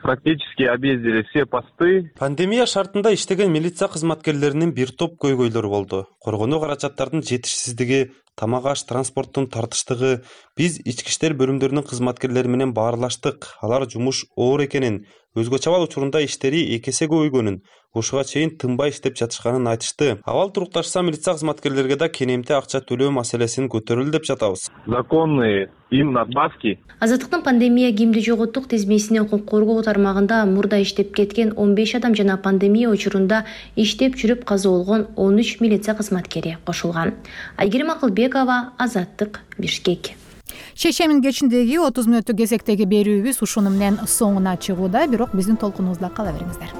Практически объездили все посты. Пандемия шартында иштеген милиция кызматкерлеринин бир топ көйгөйлөрү болду. Коргонуу каражаттардын жетишсиздиги, тамак аш, транспорттун тартыштыгы. Биз ички иштер бөлүмдөрүнүн кызматкерлери менен баарлаштык. Алар жумуш оор экенин, өзгө чабал учурунда иштери 2 эсе көбөйгөнүн, ушуга чейин тынбай иштеп жатышканын айтышты. Абал турукташса, милиция кызматкерлерге да кенемти акча төлөө маселесин көтөрүлдү деп жатабыз. Законные им надбавки. Азаттыктын пандемия кимди жоготтук тизмесине укук коргоо тармагында мурда иштеп кеткен 15 адам жана пандемия учурунда иштеп жүрүп каза болгон 13 милиция кызматкери кошулган. Айгерим Акылбекова, Азаттык, Бишкек. Шейшембинин кечиндеги 30 мүнөттүк кезектеги берүүбүз ушуну менен соңуна чыгууда, бирок биздин толкунубузда кала бериңиздер.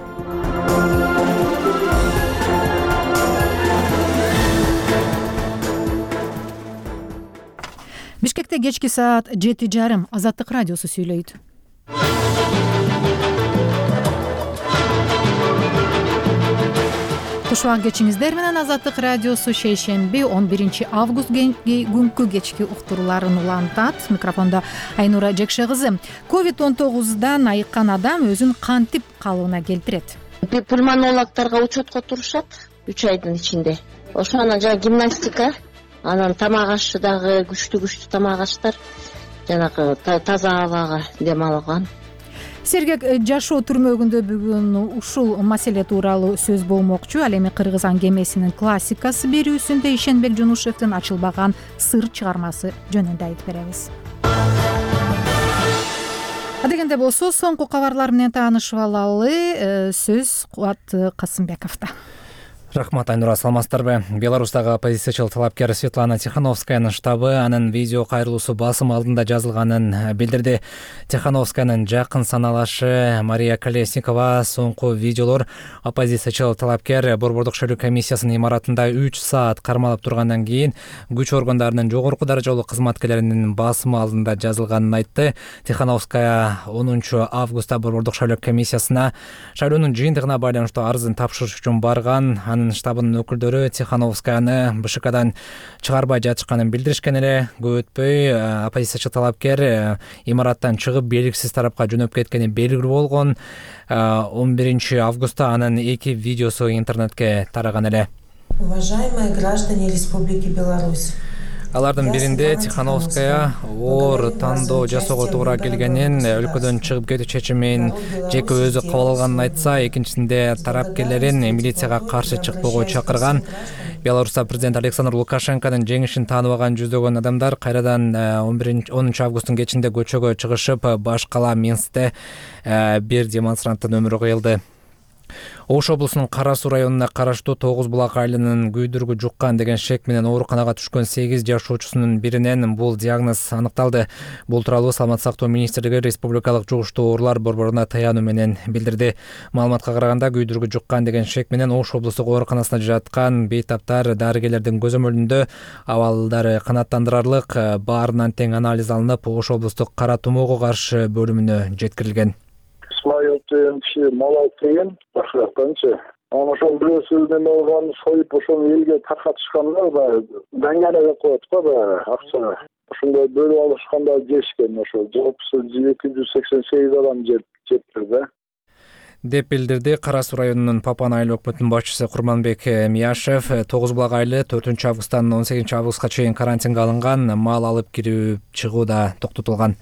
Бишкекте кечки саат 7:30 Азаттык радиосу сүйлөйт. Кушубак кечиңиздер менен Азаттык радиосу шейшемби 11 август күнкү кечки уктурууларын улантат. Микрофондо Айнура Жекше кызы. COVID-19дан айыккан адам өзүн кантип калыбына келтирет? Пульмонологторго учетко турушат 3 айдын ичинде. Ошо анан жана гимнастика, анан тамак ашы дагы күчтүү тамак аштар, жанагы таза абага дем алган. Сергек жашоо түрмөгүндө бүгүн ушул маселе тууралуу сөз болмокчу. Ал эми Кыргыз аңгемесинин классикасы берүүсүндө Ишенбек Жунушевдин ачылбаган сыр чыгармасы жөнүндө айтып беребиз. Адегенде болсо, соңку кабарлар менен таанышып алалы. Сөз Кубат Касымбековдо. Рахмат, Айнура, саламатсыздарбы? Беларустагы оппозициячыл талапкер Светлана Тихановскаянын штабы анын видео кайрылуусу басым алдында жазылганын билдирди. Тихановскаянын жакын саналашы Мария Колесникова соңку видеолор оппозициячыл талапкер Борбордук шайлоо комиссиясынын имаратында 3 саат кармалып тургандан кийин күч органдарынын жогорку даражалуу кызматкерлеринин басымы алдында жазылганын айтты. Тихановская 10 августта Борбордук шайлоо комиссиясына шайлоонун жыйынтыгына байланыштуу арызын тапшырыш үчүн барган. Штабынын өкүлдөрү Тихановскаяны БШКдан чыгарбай жатышканын билдиришкен эле. Көп өтпөй оппозициячы талапкер имараттан чыгып белгисиз тарапка жөнөп кеткени белгилүү болгон. 11 августта анын 2 видеосу интернетке тараган эле. Уважаемые граждане Республики Беларусь. Алардын биринде Тихановская оор тандоо жасоого туура келгенин, өлкөдөн чыгып кетүү чечимин жеке өзү кабыл алганын айтса, экинчисинде тарапкерлерин милицияга каршы чыкпоого чакырган. Беларуста президент Александр Лукашенконун жеңишин тааныбаган жүздөгөн адамдар кайрадан 10 августтун кечинде көчөгө чыгышып, баш кала Минскте бир демонстранттын өмүрү кыйылды. Ош облусунун Кара Суу районуна караштуу 9 булак айылынын күйдүргү жуккан деген шек менен ооруканага түшкөн 8 жашоочусунун биринен бул диагноз аныкталды. Бул тууралуу Саламаттык сактоо министрлиги Республикалык жугуштуу оорулар борборуна таянуу менен билдирди. Маалыматка караганда, күйдүргү жуккан деген шек менен Ош облустук ооруканасына жаткан бейтаптар дарыгерлердин көзөмөлүндө абалдары канааттандырарлык, баарынан тең анализ алынып, Ош облустук кара тумоого каршы бөлүмүнө жеткирилген. Киши мал алып келген, башкачы. Ошол бирөөсү неме болгон, союп ошону элге таркатышканда даңгана деп коет го, акча. Ошондой бөлүп алышканда жешкен, ошо жалпысы 288 адам жепти да. Деп билдирди Кара Суу районунун Папан айыл өкмөтүнүн башчысы Курманбек Мияшев. 9 булак айылы 4 августтан 18 августка чейин карантинге алынган, мал алып кирип чыгуу да токтотулган.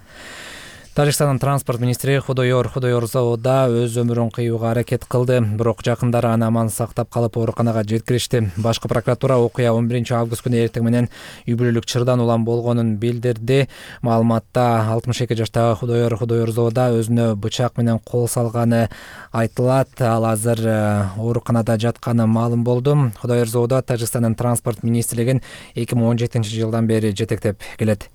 Тажикстандын транспорт министри Худойор Зоуда өз өмүрүн кыюуга аракет кылды, бирок жакындары аны аман сактап калып ооруканага жеткиришти. Башкы прокуратура окуя 11 август күнү эртең менен үй бүлөлүк чырдан улам болгонун билдирди. Маалыматта 62 жаштагы Худойор Зоуда өзүнө бычак менен кол салганы айтылат. Ал азыр ооруканада жатканы маалым болду. Худойор Зоуда Тажикстандын транспорт министрлигин 2017-жылдан бери жетектеп келет.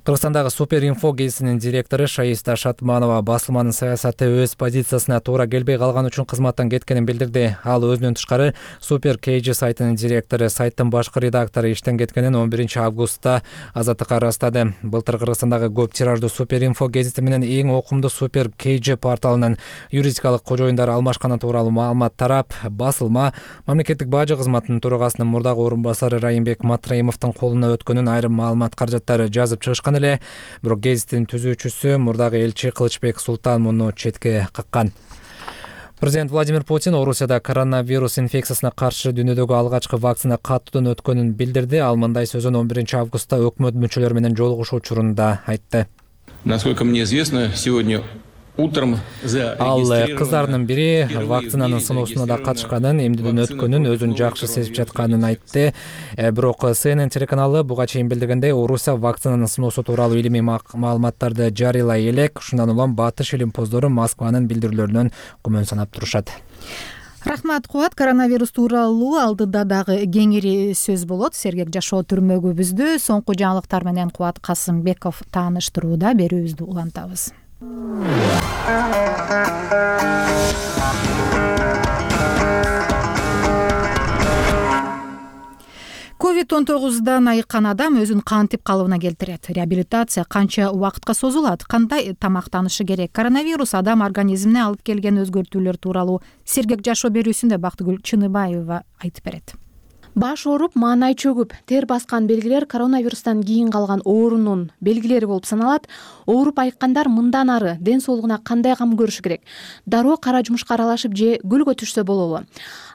Кыргызстандагы Суперинфо гезитинин директору Шаиста Шатманова басылманын саясаты өз позициясына туура келбей калган үчүн кызматтан кеткенин билдирди. Ал өзүнөн тышкары Супер KG сайтынын директору, сайттын башкы редактору иштен кеткенин 11 августта Азаттыкка ырастады. Былтыр Кыргызстандагы көп тираждуу Суперинфо гезити менен эң окумдуу Супер KG порталынын юридикалык кожоюндары алмашканы тууралуу маалымат тарап, басылма мамлекеттик бажы кызматынын төрагасынын мурдагы орун басары Райымбек Матраимовдун колуна өткөнүн, айрым маалымат каражаттары жазып чыгышкан эле, бирок гезиттин түзүүчүсү мурдагы элчи Кылычбек Султан муну четке каккан. Президент Владимир Путин Орусияда коронавирус инфекциясына каршы дүйнөдөгү алгачкы вакцина каттуудан өткөнүн билдирди. Ал мындай сөзүн 11 августта өкмөт мүчөлөрү менен жолугушуу учурунда айтты. Насколько мне известно, сегодня утром Ал кыздарынын бири вакцинанын сыноосуна да катышканын, эмдүүдөн өткөнүн, өзүн жакшы сезип жатканын айтты. Бирок CNN телеканалы буга чейин билдиргендей, Орусия вакцинанын сыноосу тууралуу илимий маалыматтарды жарыялай элек. Ушундан улам батыш илимпоздору Москванын билдирүүлөрүнөн күмөн санап турушат. Рахмат, Кубат. Коронавирус тууралуу алдыда дагы кеңири сөз болот. Сергек жашоо түрмөгүбүздү соңку жаңылыктар менен Кубат Касымбеков тааныштырууда. Берүүбүздү улантабыз. COVID-19 айыккан адам өзүн кантип калыбына келтирет? Реабилитация канча убакытка созулат? Кандай тамактанышы керек? Коронавирус адам организмине алып келген өзгөртүүлөр тууралуу Сергек жашоо берүүсүндө Бактыгүл Чыныбаева айтып берет. Баш ооруп, маанай чөгүп, тер баскан белгилер коронавирустан кийин калган оорунун белгилери болуп саналат. Ооруп айыккандар мындан ары ден соолугуна кандай кам көрүшү керек? Дароо кара жумушка аралашып же гүлгө түшсө болобу?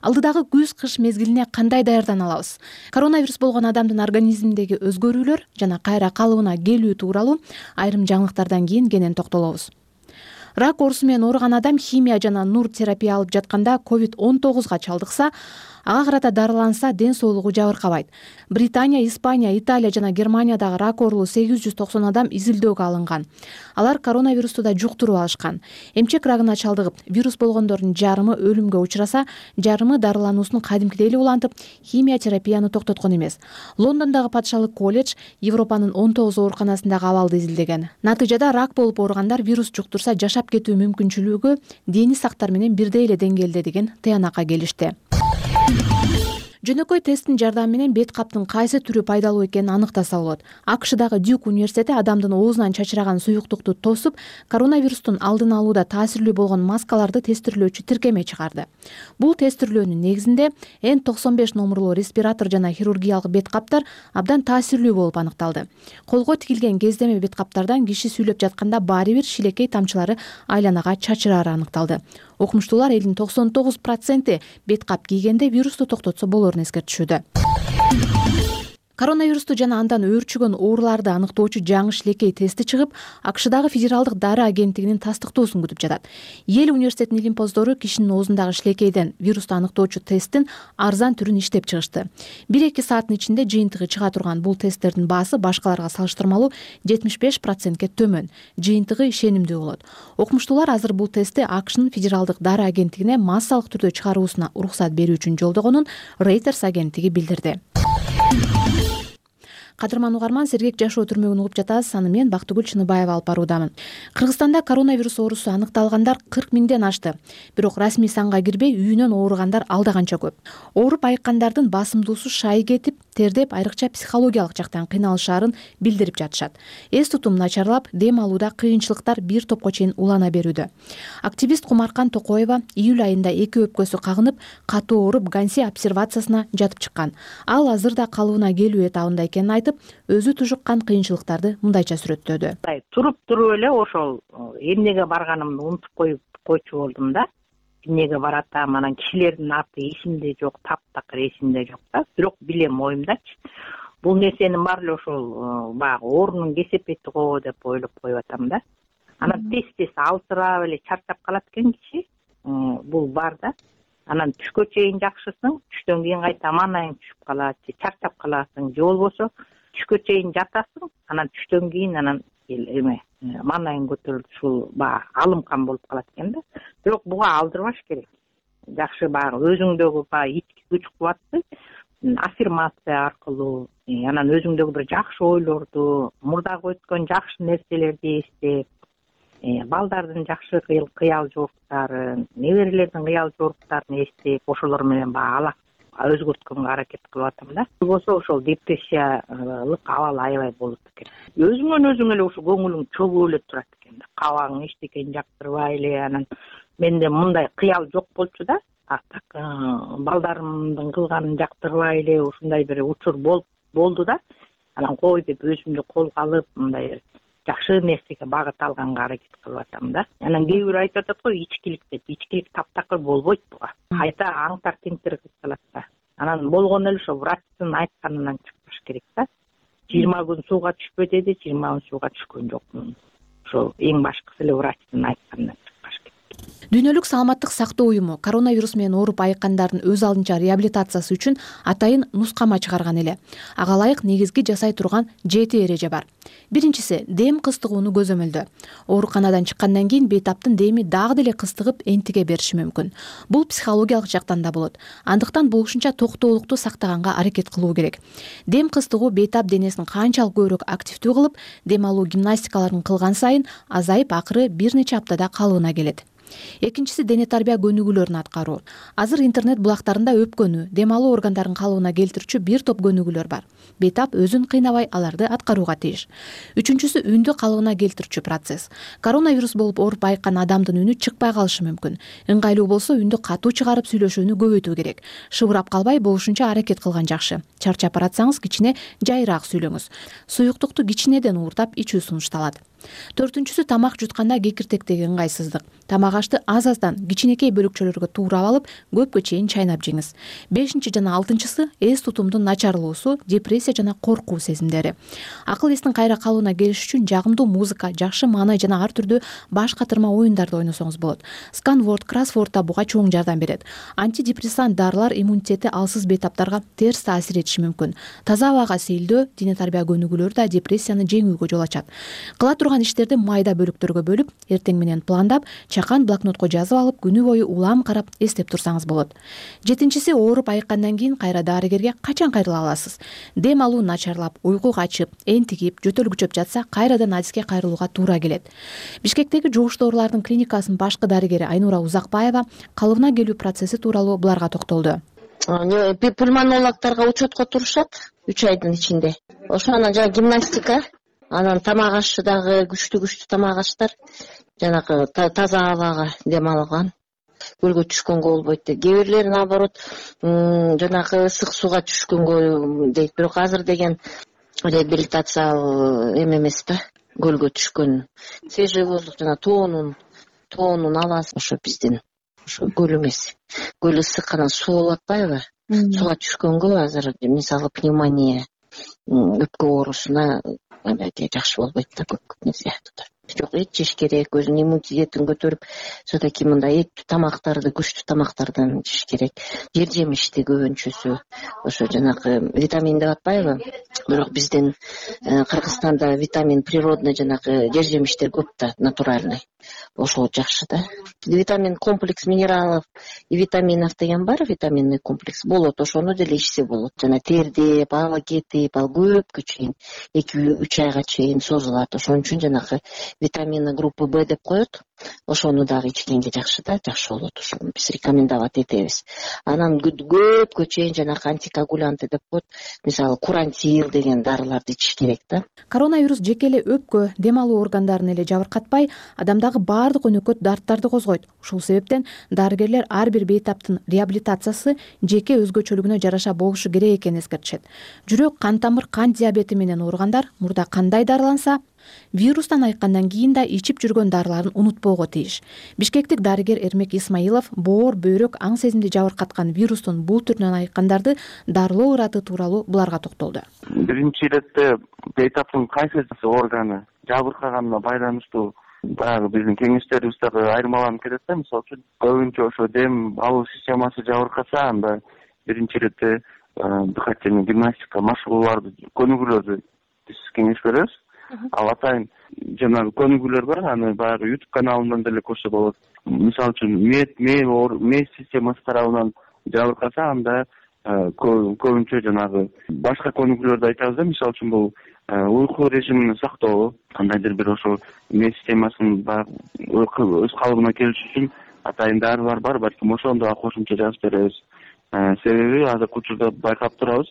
Алдыдагы күз-кыш мезгилине кандай даярдана алабыз? Коронавирус болгон адамдын организминдеги өзгөрүүлөр жана кайра калыбына келүү тууралуу айрым жаңылыктардан кийин кенен токтолобуз. Рак оорусу менен ооруган адам химия жана нур терапия алып жатканда COVID-19 чалдыкса, ага карата дарыланса, ден соолугу жабыркабайт. Британия, Испания, Италия жана Германиядагы рак оорулуу 890 адам изилдөөгө алынган. Алар коронавирусту да жуктуруп алышкан. Эмчек рагына чалдыгып, вирус болгондордун жарымы өлүмгө учураса, жарымы дарылануусун кадимкидей эле улантып, химия терапияны токтоткон эмес. Лондондогу патшалык колледж Европанын 19 ооруканасындагы абалды изилдеген. Натыйжада рак болуп ооругандар вирус жуктурса жашап кетүү мүмкүнчүлүгү дени сактар менен бирдей эле деңгээлде деген тыянакка келишти. Жөнөкөй тесттин жардамы менен бет каптын кайсы түрү пайдалуу экенин аныктаса болот. АКШдагы Дюк университети адамдын оозунан чачыраган суюктукту тосуп, коронавирустун алдын алууда таасирлүү болгон маскаларды тестирлөөчү тиркеме чыгарды. Бул тестирлөөнүн негизинде N95 номурлуу респиратор жана хирургиялык бет каптар абдан таасирлүү болуп аныкталды. Колго тигилген кездеме бет каптардан киши сүйлөп жатканда баары бир шилекей тамчылары айланага чачырары аныкталды. Окумуштуулар элдин 99% бет кап кийгенде вирусту токтотсо болорун эскертишүүдө. Коронавирусту жана андан өөрчүгөн ооруларды аныктоочу жаңы шилекей тести чыгып, АКШдагы федералдык дары агенттигинин тастыктоосун күтүп жатат. Эл университетинин илимпоздору кишинин оозундагы шилекейден вирусту аныктоочу тесттин арзан түрүн иштеп чыгышты. 1-2 сааттын ичинде жыйынтыгы чыга турган бул тесттердин баасы башкаларга салыштырмалуу 75%ке төмөн, жыйынтыгы ишенимдүү болот. Окумуштуулар азыр бул тестти АКШнын федералдык дары агенттигине массалык түрдө чыгаруусуна уруксат берүү үчүн жолдогонун Reuters агенттиги билдирди. Кадырман угарман, Сергек жашоо түрмөгүн угуп жатасыз. Аны мен Бактыгүл Чыныбаева алып баруудамын. Кыргызстанда коронавирус оорусу аныкталгандар 40 миңден ашты. Бирок расмий санга кирбей, үйүнөн ооругандар алда канча көп. Ооруп айыккандардын басымдуусу шай кетип, тердеп, айрыкча психологиялык жактан кыйналышаарын билдирип жатышат. Эс тутум начарлап, дем алууда кыйынчылыктар бир топко чейин улана берүүдө. Активист Кумаркан Токоева июль айында 2 өпкөсү кагынып, катуу ооруп Ганси обсервациясына жатып чыккан. Ал азырда калыбына келүү этабында экенин айтып, өзү тужуккан кыйынчылыктарды мындайча сүрөттөдү. Туруп эле ошол эмнеге барганымды унутуп койчу болдум да. Эмнеге баратам, анан кишилердин аты эсимде жок, таптакыр эсимде жок да. Бирок билем оюмдачы. Бул нерсенин баары эле ошол баягы оорунун кесепети го деп ойлоп коюп атам да. Анан тез алсырап эле чарчап калат экен киши. Бул бар да. Анан түшкө чейин жакшысың, түштөн кийин кайта маанайың түшүп калат, же чарчап каласың, же болбосо түшкө чейин жатасың, анан түштөн кийин анан маанайың көтөрүлүп ушул баягы алымкан болуп калат экен да. Бирок буга алдырбаш керек. Жакшы баягы өзүңдөгү баягы ички күч кубатты аффирмация аркылуу, анан өзүңдөгү бир жакшы ойлорду, мурдагы өткөн жакшы нерселерди эстеп, балдардын жакшы кыял жоруктарын, неберелердин кыял жоруктарын эстеп, ошолор менен баягы өзгөрткөнгө аракет кылып атам да. Болбосо ошол депрессиялык абал аябай болот экен. Өзүңөн өзүң эле ошо көңүлүң чөгүп эле турат экен да. Кабагың эчтекени жактырбай эле, анан менде мындай кыял жок болчу да. Так балдарымдын кылганын жактырбай эле ушундай бир учур болду да. Анан кой деп өзүмдү колго алып, мындай жакшы нерсеге багыт алганга аракет кылып атам да. Анан кээ бирөө айтып атат го ичкилик деп. Ичкилик таптакыр болбойт буга. Кайта аңтар теңтер кылып калат да. Анан болгону эле ошо врачтын айтканынан чыкпаш керек да. 20 күн сууга түшпө деди, 20 күн сууга түшкөн жокмун. Ошо эң башкысы эле врачтын айтканынан чыкпаш керек. Дүйнөлүк саламаттык сактоо уюму коронавирус менен ооруп айыккандардын өз алдынча реабилитациясы үчүн атайын нускама чыгарган эле. Ага ылайык негизги жасай турган 7 эреже бар. Биринчиси дем кыстыгууну көзөмөлдөө. Ооруканадан чыккандан кийин бейтаптын деми дагы деле кыстыгып энтиге бериши мүмкүн. Бул психологиялык жактан да болот. Андыктан болушунча токтоолукту сактаганга аракет кылуу керек. Дем кыстыгуу бейтап денесин канчалык көбүрөөк активдүү кылып, дем алуу гимнастикаларын кылган сайын азайып акыры бир нече аптада калыбына келет. Экинчиси дене тарбия көнүгүүлөрүн аткаруу. Азыр интернет булактарында өпкөнү, дем алуу органдарын калыбына келтирүүчү бир топ көнүгүүлөр бар. Бейтап өзүн кыйнабай аларды аткарууга тийиш. Үчүнчүсү үндү калыбына келтирүүчү процесс. Коронавирус болуп ооруп айыккан адамдын үнү чыкпай калышы мүмкүн. Ыңгайлуу болсо үндү катуу чыгарып сүйлөшүүнү көбөйтүү керек. Шыбырап калбай болушунча аракет кылган жакшы. Чарчап баратсаңыз кичине жайыраак сүйлөңүз. Суюктукту кичинеден ууртап ичүү сунушталат. Төртүнчүсү тамак жутканда кекиртектеги ыңгайсыздык. Тамак ашты аз-аздан кичинекей бөлүкчөлөргө туурап алып, көпкө чейин чайнап жеңиз. Бешинчи жана алтынчысы эс тутумдун начарлоосу, депрессия жана коркуу сезимдери. Акыл эстин кайра калыбына келиш үчүн жагымдуу музыка, жакшы маанай жана ар түрдүү баш катырма оюндарды ойносоңуз болот. Сканворд, кроссворд да буга чоң жардам берет. Антидепрессант дарылар иммунитети алсыз бейтаптарга терс таасир этиши мүмкүн. Таза абага сейилдөө, дене тарбия көнүгүүлөрү да депрессияны жеңүүгө жол ачат. Кыла турган иштерди майда бөлүктөргө бөлүп, эртең менен пландап, чакан блокнотко жазып алып, күнү бою улам карап эстеп турсаңыз болот. Жетинчиси ооруп айыккандан кийин кайра дарыгерге качан кайрыла аласыз? Дем алуу начарлап, уйку качып, энтигип, жөтөл күчөп жатса, кайрадан адиске кайрылууга туура келет. Бишкектеги жугуштуу оорулардын клиникасынын башкы дарыгери Айнура Узакбаева калыбына келүү процесси тууралуу буларга токтолду. Пульмонологторго учетко турушат 3 айдын ичинде. Ошонан жана гимнастика, анан тамак ашы дагы күчтүү тамак аштар, жанагы таза абага дем алган, көлгө түшкөнгө болбойт дейт. Кээ бирлери наоборот жанагы ысык сууга түшкөнгө дейт. Бирок азыр деген реабилитация эмес да, көлгө түшкөн. Свежий воздух жана тоонун аласыз. Ошо биздин ошо көл эмес. Көл ысык, анан суу болуп атпайбы? Сууга түшкөнгө азыр мисалы пневмония, өпкө оорусуна жакшы болбойт да, көп сыяктуу. Жок, эт жеш керек, өзүнүн иммунитетин көтөрүп, все-таки мындай эттүү тамактарды, күчтүү тамактардан жеш керек. Жер жемишти көбүнчөсү, ошо жанагы витамин деп атпайбы? Бирок биздин Кыргызстанда витамин природный жанагы жер жемиштер көп да, натуральный. Ошол жакшы да. Витамин комплекс минералов и витаминов деген бар, витаминный комплекс болот, ошону деле ичсе болот. Жана тердеп, аба кетип, ал көпкө чейин 2-3 айга чейин созулат. Ошон үчүн жанагы витамины группы Б деп коет. Ошону дагы ичкенге жакшы да, жакшы болот. Ошону биз рекомендовать этебиз. Анан көпкө чейин жанагы антикоагулянты деп коет. Мисалы курантил деген дарыларды ичиш керек да. Коронавирус жеке эле өпкө, дем алуу органдарын эле жабыркатпай, адамдагы баардык өнөкөт дарттарды козгойт. Ушул себептен дарыгерлер ар бир бейтаптын реабилитациясы жеке өзгөчөлүгүнө жараша болушу керек экенин эскертишет. Жүрөк, кан тамыр, кант диабети менен ооругандар мурда кандай дарыланса, вирустан айыккандан кийин да ичип жүргөн дарыларын унутпоого тийиш. Бишкектик дарыгер Эрмек Исмаилов боор, бөйрөк, аң сезимди жабыркаткан вирустун бул түрүнөн айыккандарды дарылоо ыраты тууралуу буларга токтолду. Биринчи иретте бейтаптын кайсы органы жабыркаганына байланыштуу баягы биздин кеңештерибиз дагы айырмаланып кетет да. Мисалы үчүн көбүнчө ошо дем алуу системасы жабыркаса, анда биринчи иретте дыхательный гимнастика машыгууларды, көнүгүүлөрдү биз кеңеш беребиз. Ал атайын жанагы көнүгүүлөр бар, аны баягы YouTube каналынан деле көрсө болот. Мисалы үчүн мээ системасы тарабынан жабыркаса, анда көбүнчө жанагы башка көнүгүүлөрдү айтабыз да. Мисалы үчүн бул уйку режимин сактоо, кандайдыр бир ошо мээ системасын өз калыбына келиш үчүн атайын дарылар бар, балким ошону да кошумча жазып беребиз. Себеби азыркы учурда байкап турабыз,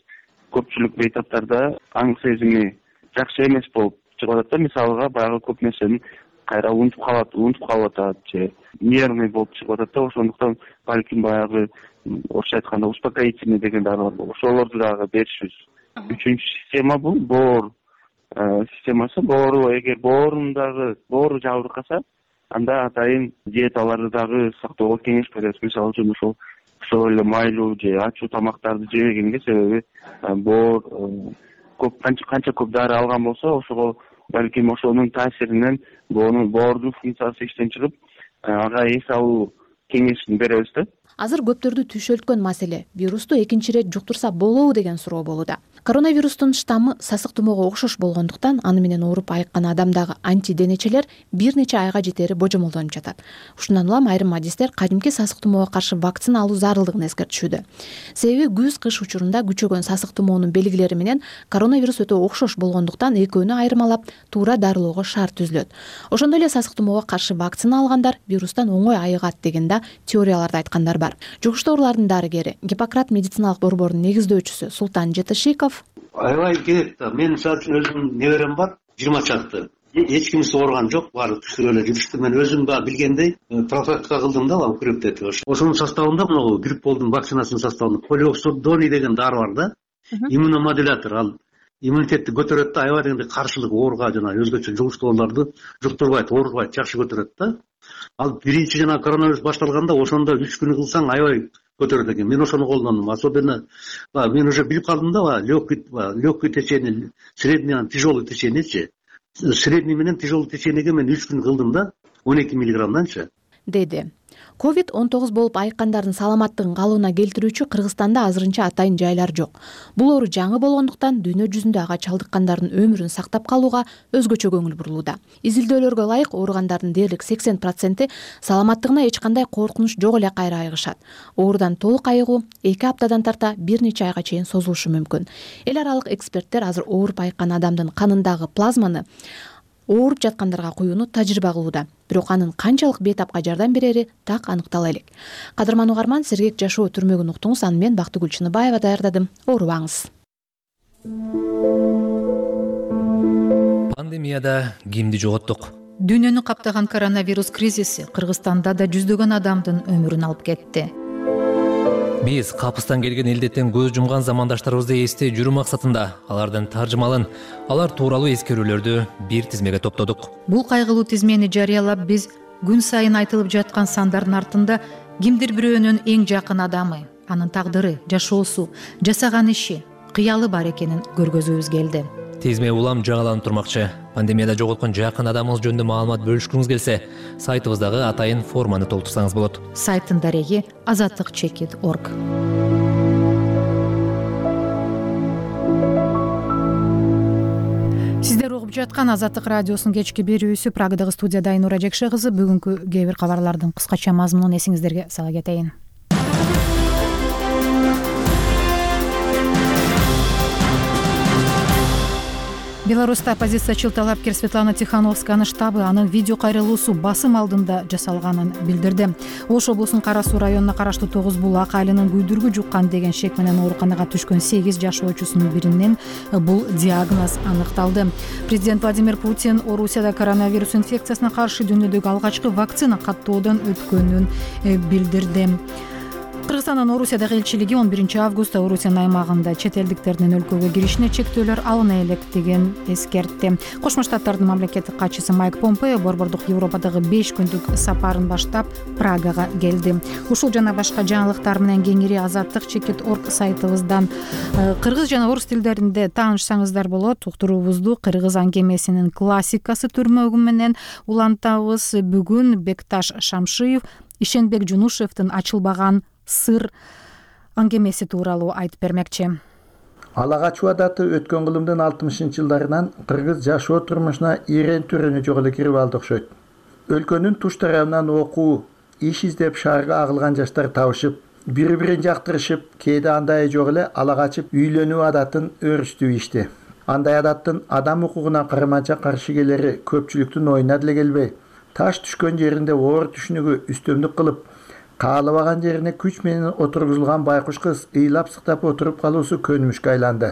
көпчүлүк бейтаптарда аң сезими жакшы эмес болуп чыгып атат да. Мисалга баягы көп нерсени кайра унутуп калып атат же нервный болуп чыгып атат да. Ошондуктан балким баягы орусча айтканда успокоительный деген дарылар бар. Ошолорду дагы беришибиз. Үчүнчү система бул боор системасы. Эгер боору жабыркаса, анда атайын диеталарды дагы сактоого кеңеш беребиз. Мисалы үчүн ошол эле майлуу же ачуу тамактарды жебегенге, себеби боор канча көп дары алган болсо, ошого балким ошонун таасиринен боордун функциясы иштен чыгып, ага эс алуу кеңешин беребиз да. Азыр көптөрдү түйшөлткөн маселе вирусту экинчи ирет жуктурса болобу деген суроо болууда. Коронавирустун штаммы сасык тумоого окшош болгондуктан аны менен ооруп айыккан адамдагы антиденечелер бир нече айга жетери божомолдонуп жатат. Ушундан улам айрым адистер кадимки сасык тумоого каршы вакцина алуу зарылдыгын эскертишүүдө. Себеби күз-кыш учурунда күчөгөн сасык тумоонун белгилери менен коронавирус өтө окшош болгондуктан экөөнү айырмалап туура дарылоого шарт түзүлөт. Ошондой эле сасык тумоого каршы вакцина алгандар вирустан оңой айыгат деген да теорияларды айткандар бар. Жугуштуу оорулардын дарыгери, Гиппократ медициналык борборунун негиздөөчүсү Султан Жетишиков: аябай керек да. Мен мисалы үчүн өзүмдүн неберем бар, 20 чакты. Эч кимиси ооруган жок, баары түшүрүп эле жүрүштү. Мен өзүм да билгендей профилактика кылдым да, грипптети. Ошонун составында могу грипполдун вакцинасынын составында полиоксудоний деген дары бар да. Иммуномодулятор, ал иммунитетти көтөрөт да, аябай дегенде каршылык ооруга жана өзгөчө жугуштуу ооруларды жуктурбайт, оорутпайт, жакшы көтөрөт да. Ал биринчи жана коронавирус башталганда ошондо 3 күн кылсаң аябай көтөрөт экен. Мен ошону колдондум. Особенно мен уже билип калдым да, легкий течение, средний, тяжелый течениечи. Средний менен тяжелый течениеге мен 3 күн кылдым да, 12 миллиграммданчы, деди. COVID-19 болуп айыккандардын саламаттыгын калыбына келтирүүчү Кыргызстанда азырынча атайын жайлар жок. Бул оору жаңы болгондуктан дүйнө жүзүндө ага чалдыккандардын өмүрүн сактап калууга өзгөчө көңүл бурулууда. Изилдөөлөргө ылайык ооругандардын дээрлик 80% саламаттыгына эч кандай коркунуч жок эле кайра айыгышат. Оорудан толук айыгуу 2 аптадан тарта бир нече айга чейин созулушу мүмкүн. Эл аралык эксперттер азыр ооруп айыккан адамдын канындагы плазманы ооруп жаткандарга куюуну тажрыйба кылууда. Бирок анын канчалык бейтапка жардам берери так аныктала элек. Кадырман угарман, сергек жашоо түрмөгүн уктуңуз. Аны мен Бактыгүл Чыныбаева даярдадым. Оорубаңыз. Пандемияда кимди жоготтук? Дүйнөнү каптаган коронавирус кризиси Кыргызстанда да жүздөгөн адамдын өмүрүн алып кетти. Биз капыстан келген илдеттен көз жумган замандаштарыбызды эстей жүрүү максатында алардын таржымалын, алар тууралуу эскерүүлөрдү бир тизмеге топтодук. Бул кайгылуу тизмени жарыялап биз күн сайын айтылып жаткан сандардын артында кимдир бирөөнүн эң жакын адамы, анын тагдыры, жашоосу, жасаган иши, кыялы бар экенин көргөзүүбүз келди. Тизме улам жаңыланып турмакчы. Пандемияда жоготкон жакын адамыңыз жөнүндө маалымат бөлүшкүңүз келсе, сайтыбыздагы атайын форманы толтурсаңыз болот. Сайттын дареги azatlyk.org. Сиздер угуп жаткан Азаттык радиосунун кечки берүүсү. Прагадагы студияда Айнура Жекше кызы. Бүгүнкү кээ бир кабарлардын кыскача мазмунун эсиңиздерге сала кетейин. Беларуста оппозициячыл талапкер Светлана Тихановсканын штабы анын видео кайрылуусу басым алдында жасалганын билдирди. Ош облусунун Кара Суу районуна караштуу Тогуз Булак айылынын күйдүргү жуккан деген шек менен ооруканага түшкөн 8 жашоочусунун биринен бул диагноз аныкталды. Президент Владимир Путин Орусияда коронавирус инфекциясына каршы дүйнөдөгү алгачкы вакцина каттоодон өткөнүн билдирди. Кыргызстандын Орусиядагы элчилиги 11 августта Орусиянын аймагында чет элдиктердин өлкөгө киришине чектөөлөр алына электигин эскертти. Кошмо Штаттардын мамлекеттик катчысы Майк Помпео борбордук Европадагы 5 күндүк сапарын баштап Прагага келди. Ушул жана башка жаңылыктар менен кеңири azatlyk.org сайтыбыздан кыргыз жана орус тилдеринде таанышсаңыздар болот. Уктуруубузду кыргыз аңгемесинин классикасы түрмөгү менен улантабыз. Бүгүн Бекташ Шамшиев Ишенбек Жунушевдин ачылбаган сыр аңгемеси тууралуу айтып бермекчи. Алага чуадаты өткөн кылымдын 60-жылдарынан кыргыз жашоо турмушуна ирен түрөнү жок эле кирип алды окшойт. Өлкөнүн туш тарабынан окуу, иш издеп шаарга агылган жаштар табышып, бири-бирин жактырышып, кээде андай жок эле ала качып үйлөнүү адатын өрүштүү ишти. Андай адаттын адам укугуна карманча каршы келери көпчүлүктүн оюна деле келбей, таш түшкөн жеринде оор түшүнүгү үстөмдүк кылып, каалабаган жерине күч менен отургузулган байкуш кыз ыйлап сыктап отуруп калуусу көнүмүшкө айланды.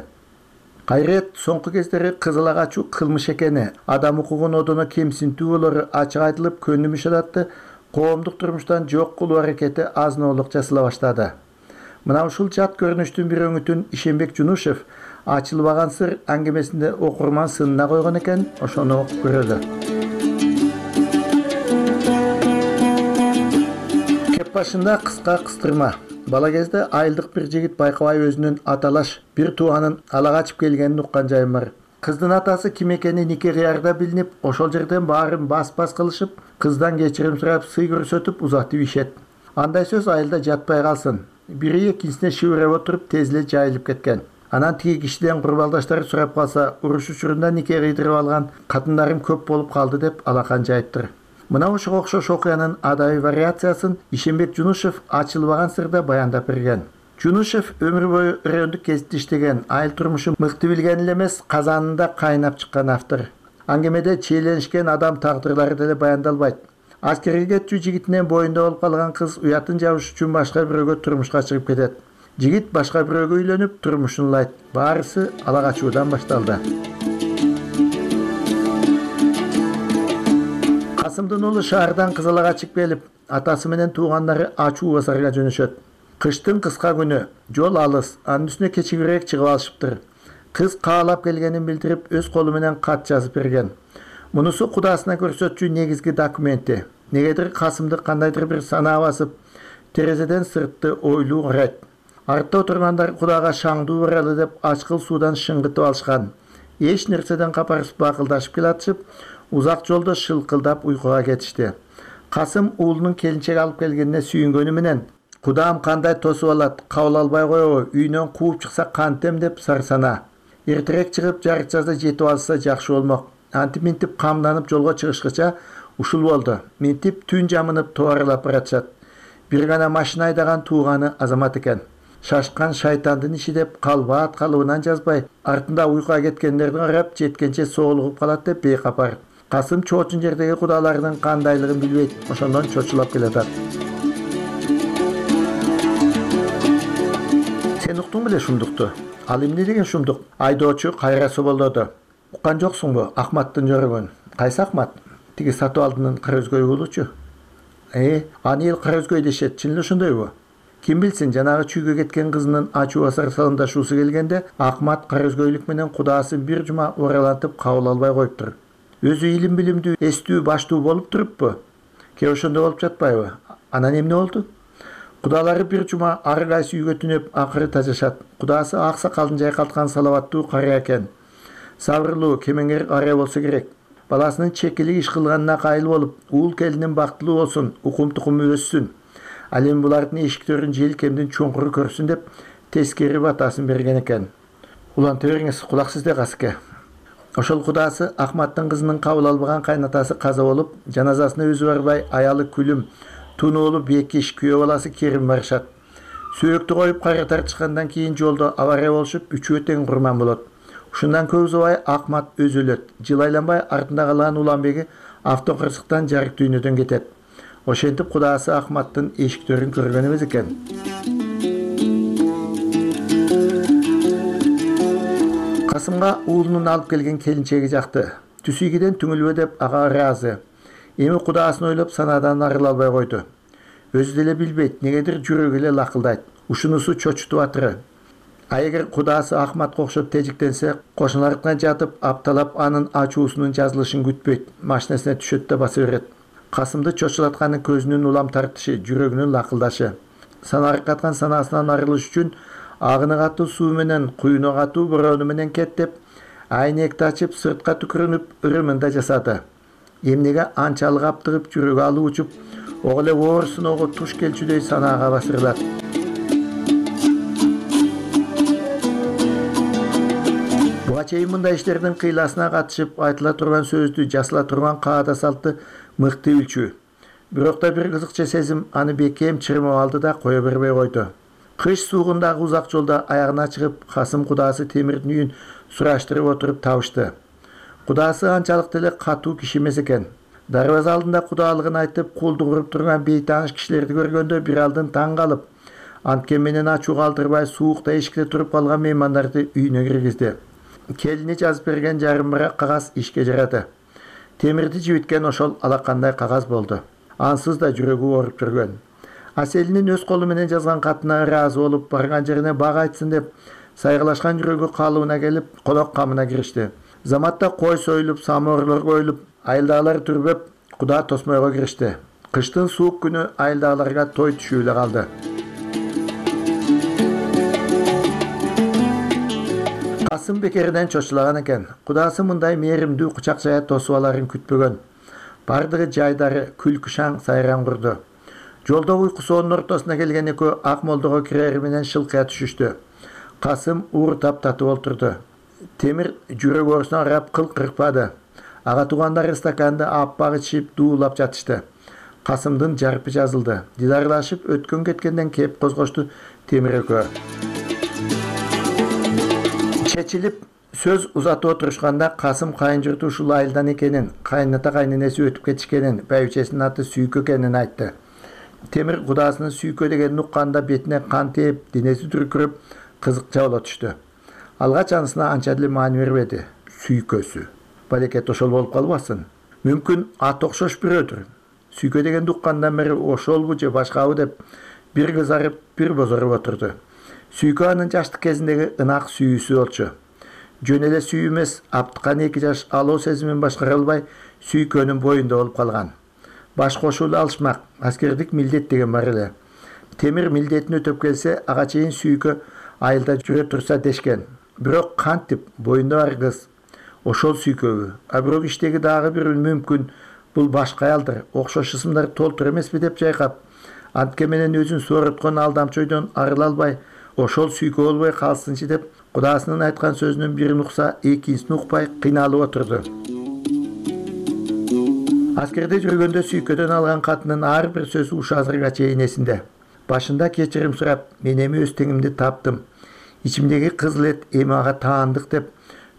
Кайрет соңку кездери кызыл агачуу кылмыш экени, адам укугун одоно кемсинтүү болору ачык айтылып, көнүмүш адатты коомдук турмуштан жок кылуу аракети азноолук жасала баштады. Мына ушул жат көрүнүштүн бир өңүтүн Ишенбек Жунушев Ачылбаган сыр аңгемесинде окурман сынына койгон экен, ошону окуп көрөлү. Кеп башында кыска кыстырма. Бала кезде айылдык бир жигит байкабай өзүнүн аталаш бир тууганын ала качып келгенин уккан жайым бар. Кыздын атасы ким экени нике кыярда билинип, ошол жерден баарын бас кылышып, кыздан кечирим сурап, сый көрсөтүп узатып ишет. Андай сөз айылда жатпай калсын. Бири экинчисине шыбырап отуруп тез эле жайылып кеткен. Анан тиги кишиден курбалдаштары сурап калса, уруш учурунда нике кыйдырып алган катындарым көп болуп калды деп алакан жайыптыр. Мына ошого окшош окуянын адабий вариациясын Ишенбек Жунушев Ачылбаган сырда баяндап берген. Жунушев өмүр бою райондук кезитте иштеген, айыл турмушу мыкты билген эле эмес, казанында кайнап чыккан автор. Аңгемеде чейленишкен адам тагдырлары деле баяндалбайт. Аскерге кетчү жигитинен боюнда болуп калган кыз уятын жабыш үчүн башка бирөөгө турмушка чыгып кетет. Жигит башка бирөөгө үйлөнүп, турмушун улайт. Баарысы ала качуудан башталды. Касымдын уулу шаардан Кызылага чыгып келип, атасы менен туугандары ачуу базарга жөнөшөт. Кыштын кыска күнү, жол алыс, анын үстүнө кечигирээк чыгып алышыптыр. Кыз каалап келгенин билдирип, өз колу менен кат жазып берген. Мунусу кудасына көрсөтчү негизги документи. Негедир Касымды кандайдыр бир санаа басып, терезеден сыртты ойлуу карайт. Артта отургандар кудага шаңдуу баралы деп ачкыл суудан шыңгытып алышкан. Эч нерседен капарысып бакылдашып келатышып, узак жолдо шылкылдап уйкуга кетишти. Касым уулунун келинчек алып келгенине сүйүнгөнү менен, кудам кандай тосуп алат, кабыл албай коебу, үйүнөн кууп чыкса кантем деп сарсана. Эртерээк чыгып, жарык-жазда жетип алса жакшы болмок. Антип-минтип камданып жолго чыгышкыча ушул болду. Минтип түн жамынып товарлап баратышат. Бир гана машина айдаган тууганы Азамат экен. Шашкан шайтандын иши деп калбаат калыбынан жазбай, артында уйкуга кеткендерди карап, жеткенче соолугуп калат деп бейкапар. Касым чоочун жердеги кудаларынын кандайлыгын билбейт, ошондон чочулап келатат. Сен уктуң беле шумдукту? Ал эмне деген шумдук? Айдоочу кайра соболдоду. Уккан жоксуңбу Ахматтын жөрөгөн? Кайсы Ахмат? Тиги сатып алдынын кара өзгөй уулучу. Аны эл кара өзгөй дешет, чын эле ошондойбу? Ким билсин, жанагы чүйгө кеткен кызынын ачуу басар салымдашуусу келгенде, Ахмат кара өзгөйлүк менен кудаасын бир жума оралантып кабыл албай коюптур. Өзү илим билимдүү, эстүү, баштуу болуп туруппу? Ке ошондой болуп жатпайбы? Анан эмне болду? Кудалары бир жума ары кайсы үйгө түнөп, акыры тажашат. Кудаасы ак сакалын жайкалткан салабаттуу карыя экен. Сабырлуу, кемеңгер карыя болсо керек. Баласынын чекилик иш кылганына кайыл болуп, уул келинин бактылуу болсун, укум-тукуму өссүн. Ал эми булардын эшиктерин желкемдин чуңкуру көрсүн деп тескери батасын берген экен. Уланта бериңиз, кулак сизде Касыке. Ошол кудаасы Ахматтын кызынын кабыл албаган кайнатасы каза болуп, жаназасына өзү барбай, аялы Күлүм, тунуулу Бекиш, күйөө баласы Керим барышат. Сөөктү коюп кайра тартышкандан кийин жолдо авария болушуп, үчөө тең курман болот. Ушундан көп узабай Ахмат өзү өлөт. Жыл айланбай артында калган Уланбеги автокырсыктан жарык дүйнөдөн кетет. Ошентип кудаасы Ахматтын эшиктерин көргөн эмес экен. Касымга уулунун алып келген келинчеги жакты. Түсүгиден түңүлбө деп ага ыраазы. Эми кудаасын ойлоп санаадан арыла албай койду. Өзү деле билбейт, негедир жүрөгү эле лакылдайт. Ушунусу чочутуп атыры. А эгер кудаасы Ахматка окшоп тежиктенсе, кошуналарына жатып, апталап анын ачуусунун жазылышын күтпөйт, машинасына түшөт да баса берет. Касымды чочулатканы көзүнүн улам тартышы, жүрөгүнүн лакылдашы. Санаркаткан санаасынан арылыш үчүн агыны катуу суу менен, куюну катуу бороону менен кет деп, айнекти ачып, сыртка түкүрүнүп, ырымында жасады. Эмнеге анчалык аптыгып, жүрөгү алып учуп, ого эле оорусуного туш келчүдөй санаага басырылат. Буга чейин мындай иштердин кыйласына катышып, айтыла турган сөздү, жасыла турган каада салтты мыкты билчү. Бирок да бир кызыкча сезим аны бекем чырмап алды да кое бербей койду. Кыш суугундагы узак жолдо аягына чыгып, Касым кудаасы Темирдин үйүн сураштырып отуруп табышты. Кудаасы анчалык деле катуу киши эмес экен. Дарбаза алдында кудаалыгын айтып, кулдук уруп турган бейтааныш кишилерди көргөндө бир алдын таң калып, анткен менен ачуу калтырбай суукта эшикте туруп калган меймандарды үйүнө киргизди. Келини жазып берген жарым барак кагаз ишке жарады. Темирди жибиткен ошол алакандай кагаз болду. Ансыз да жүрөгү ооруп жүргөн. Аселинин өз колу менен жазган катына ыраазы болуп, барган жерине бага айтсын деп, Сайгылашкан жүрөгү калыбына келип, конок камына киришти. Заматта кой союлуп, самоорлор коюлуп, айылдагылар түрбөп, Куда тосмойго киришти. Кыштын суук күнү айылдагыларга той түшүп эле калды. Касым бекеринен чочулаган экен. Кудасы мындай мээримдүү кучак жая тосуп аларын күтпөгөн. Бардыгы жайдары күлкү сайран курду. Жолдо уйкусуунун ортосуна келген экөө ак молдого кирери менен шылкыя түшүштү. Касым ууртап татып олтурду. Темир жүрөк оорусуна карап кыл кыркпады. Ага туугандары стаканды аппак ичип дуулап жатышты. Касымдын жарпы жазылды. Дидарлашып өткөн кеткенден кеп козгошту Темир экөө. Чечилип сөз узатып отурушканда Касым кайын-журту ушул айылдан экенин, кайната кайненеси өтүп кетишкенин, байбичесинин аты Сүйкө экенин айтты. Темир кудасынын Сүйкө дегенин укканда бетине кан тээп, денеси дүркүрөп, кызыкча боло түштү. Алгач анысына анча деле маани бербеди. Сүйкөсү. Балекет ошол болуп калбасын. Мүмкүн ат окшош бирөөдүр. Сүйкө дегенди уккандан бери ошолбу же башкабы деп бир кызарып, бир бозоруп отурду. Сүйкө анын жаштык кезиндеги ынак сүйүүсү болчу. Жөн эле сүйүү эмес, аптыкан 2 жаш алуу сезимин башкара албай Сүйкөнүн боюнда болуп калган. Баш кошуулу алышмак, аскердик милдет деген бар эле. Темир милдетин өтөп келсе, ага чейин Сүйкө айылда жүрө турса дешкен. Бирок кантип боюнда бар кыз ошол Сүйкөбү, а бирок иштеги дагы бир мүмкүн бул башка аялдыр, окшош ысымдар толтур эмеспи деп жайкап, антке менен өзүн сооруткон алдамчойдон арыла албай, ошол Сүйкө болбой калсынчы деп кудасынын айткан сөзүнүн бирин укса, экинчисин укпай кыйналып отурду. Аскерде жүргөндө Сүйкөдөн алган катынын ар бир сөзү ушу азырга чейин эсинде. Башында кечирим сурап, мен эми өз теңимди таптым. Ичимдеги кызыл эт эми ага таандык деп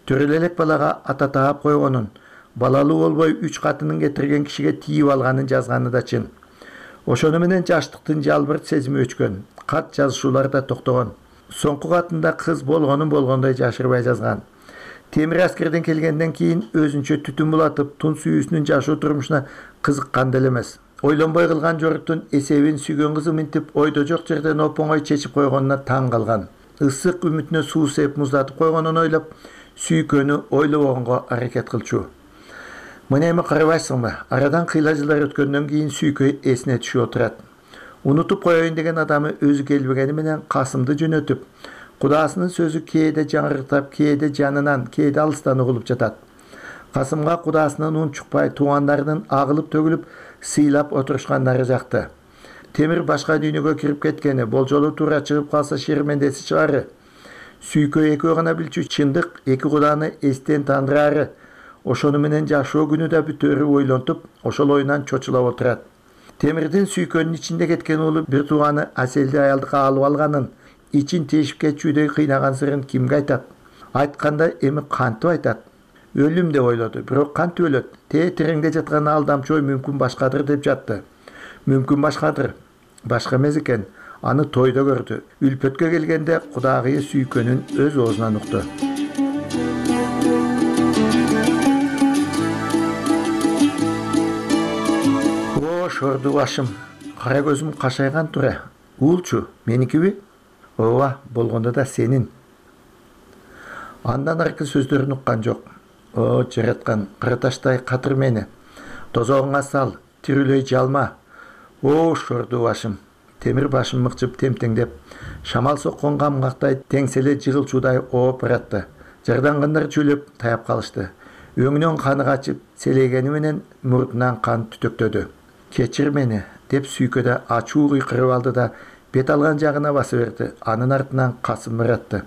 төрөлө элек балага ата таап койгонун, балалуу болбой 3 катынын кетирген кишиге тийип алганын жазганы да чын. Ошону менен жаштыктын жалбырт сезими өчкөн, кат жазышуулар да токтогон. Соңку катында кыз болгонун болгондой жашырбай жазган. Темир аскерден келгенден кийин өзүнчө түтүн булатып, тун сүйүүсүнүн жашоо турмушуна кызыккан деле эмес. Ойлонбой кылган жоруктун эсебин сүйгөн кызы минтип ойдо жок жерден оп-оңой чечип койгонуна таң калган. Ысык үмүтүнө суу сеп муздатып койгонун ойлоп, Сүйкөнү ойлобогонго аракет кылчу. Мына эми карабайсыңбы? Арадан кыйла жылдар өткөндөн кийин Сүйкө эсине түшүп отурат. Унутуп коеюн деген адамы өзү келбегени менен Касымды жөнөтүп, кудасынын сөзү кээде жаңырыктап, кээде жанынан, кээде алыстан угулуп жатат. Касымга кудасынын унчукпай, туугандарынын агылып төгүлүп, сыйлап отурушкандары жакты. Темир башка дүйнөгө кирип кеткени, болжолу туура чыгып калса шермендеси чыгары. Сүйкө экөө гана билчү чындык, эки куданы эстен тандырары. Ошону менен жашоо күнү да бүтөөрү ойлонтуп, ошол оюнан чочулап отурат. Темирдин Сүйкөнүн ичинде кеткен уулу бир тууганы Аселди аялдыкка алып алганын, ичин тешип кетчүдей кыйнаган сырын кимге айтат? Айтканда эми кантип айтат? Өлүм деп ойлоду, бирок кантип өлөт? Тереңде жаткан алдамчой мүмкүн башкадыр деп жатты. Мүмкүн башкадыр. Башка эмес экен. Аны тойдо көрдү. Үлпөткө келгенде кудагыйы Сүйкөнүн өз оозунан укту. О, шорду башым. Кара көзүм кашайган тура. Уулчу, меникиби? Ооба, болгондо да сенин. Андан аркы сөздөрүн уккан жок. О, жараткан, кырташтай катыр мени. Тозогуңа сал, тирүүлөй жалма. О, шорду башым. Темир башын мыкчып темтеңдеп, шамал соккон камгактай теңселе жыгылчуудай ооп баратты. Жардангындар чүлөп таяп калышты. Өңүнөн каны качып, селегени менен мурдунан кан түтөктөдү. Кечир мени деп Сүйкөдө ачуу кыйкырып алды да бет алган жагына баса берди. Анын артынан Касым баратты.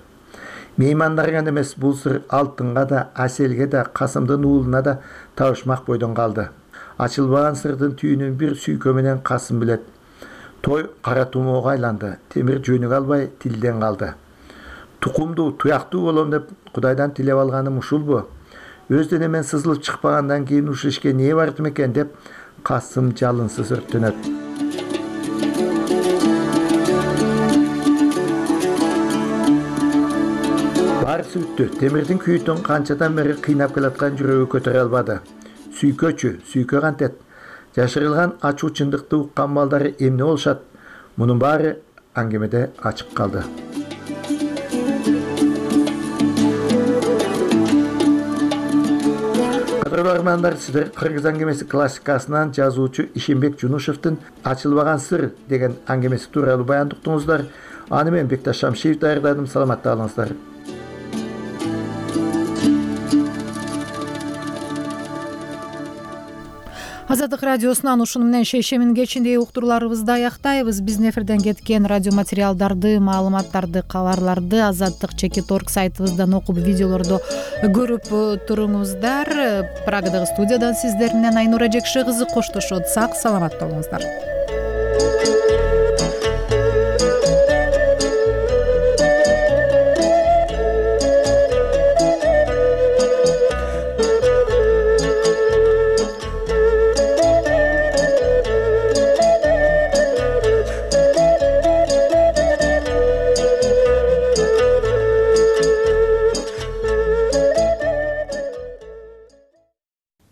Меймандарга эмес, бул сыр Алтынга да, Аселге да, Касымдын уулуна да табышмак бойдон калды. Ачылбаган сырдын түйүнүн бир Сүйкө менен Касым билет. Той кара тумоого айланды. Темир жөнүгө албай тилден калды. Тукумдуу, туяктуу болом деп Кудайдан тилеп алганым ушулбу? Өз денемен сызылып чыкпагандан кийин ушул ишке эмне бардым экен деп Касым жалынсыз өрттөнөт. Баарысы бүттү. Темирдин күйүтүн канчадан бери кыйнап келаткан жүрөгү көтөрө албады. Сүйкө кантет? Жашырылган ачуу чындыкты уккан балдары эмне болушат? Мунун баары аңгемеде ачык калды. Көрөрмандар, сиздер Кыргыз аңгемеси классикасынан жазуучу Ишенбек Жунушевдин «Ачылбаган сыр» деген аңгемеси тууралуу баяндыктыңыздар. Аны мен Бекташ Шамшиев даярдадым. Саламатта калыңыздар. Азаттык радиосунан ушуну менен шейшемин кечинде уктурууларыбызды аяктайбыз. Биздин эфирден кеткен радио материалдарды, маалыматтарды, кабарларды azattik.org сайтыбыздан окуп, видеолорду көрүп туруңуздар. Прагадагы студиядан сиздер менен Айнура Жекши кызы коштошот. Сак саламат болуңуздар.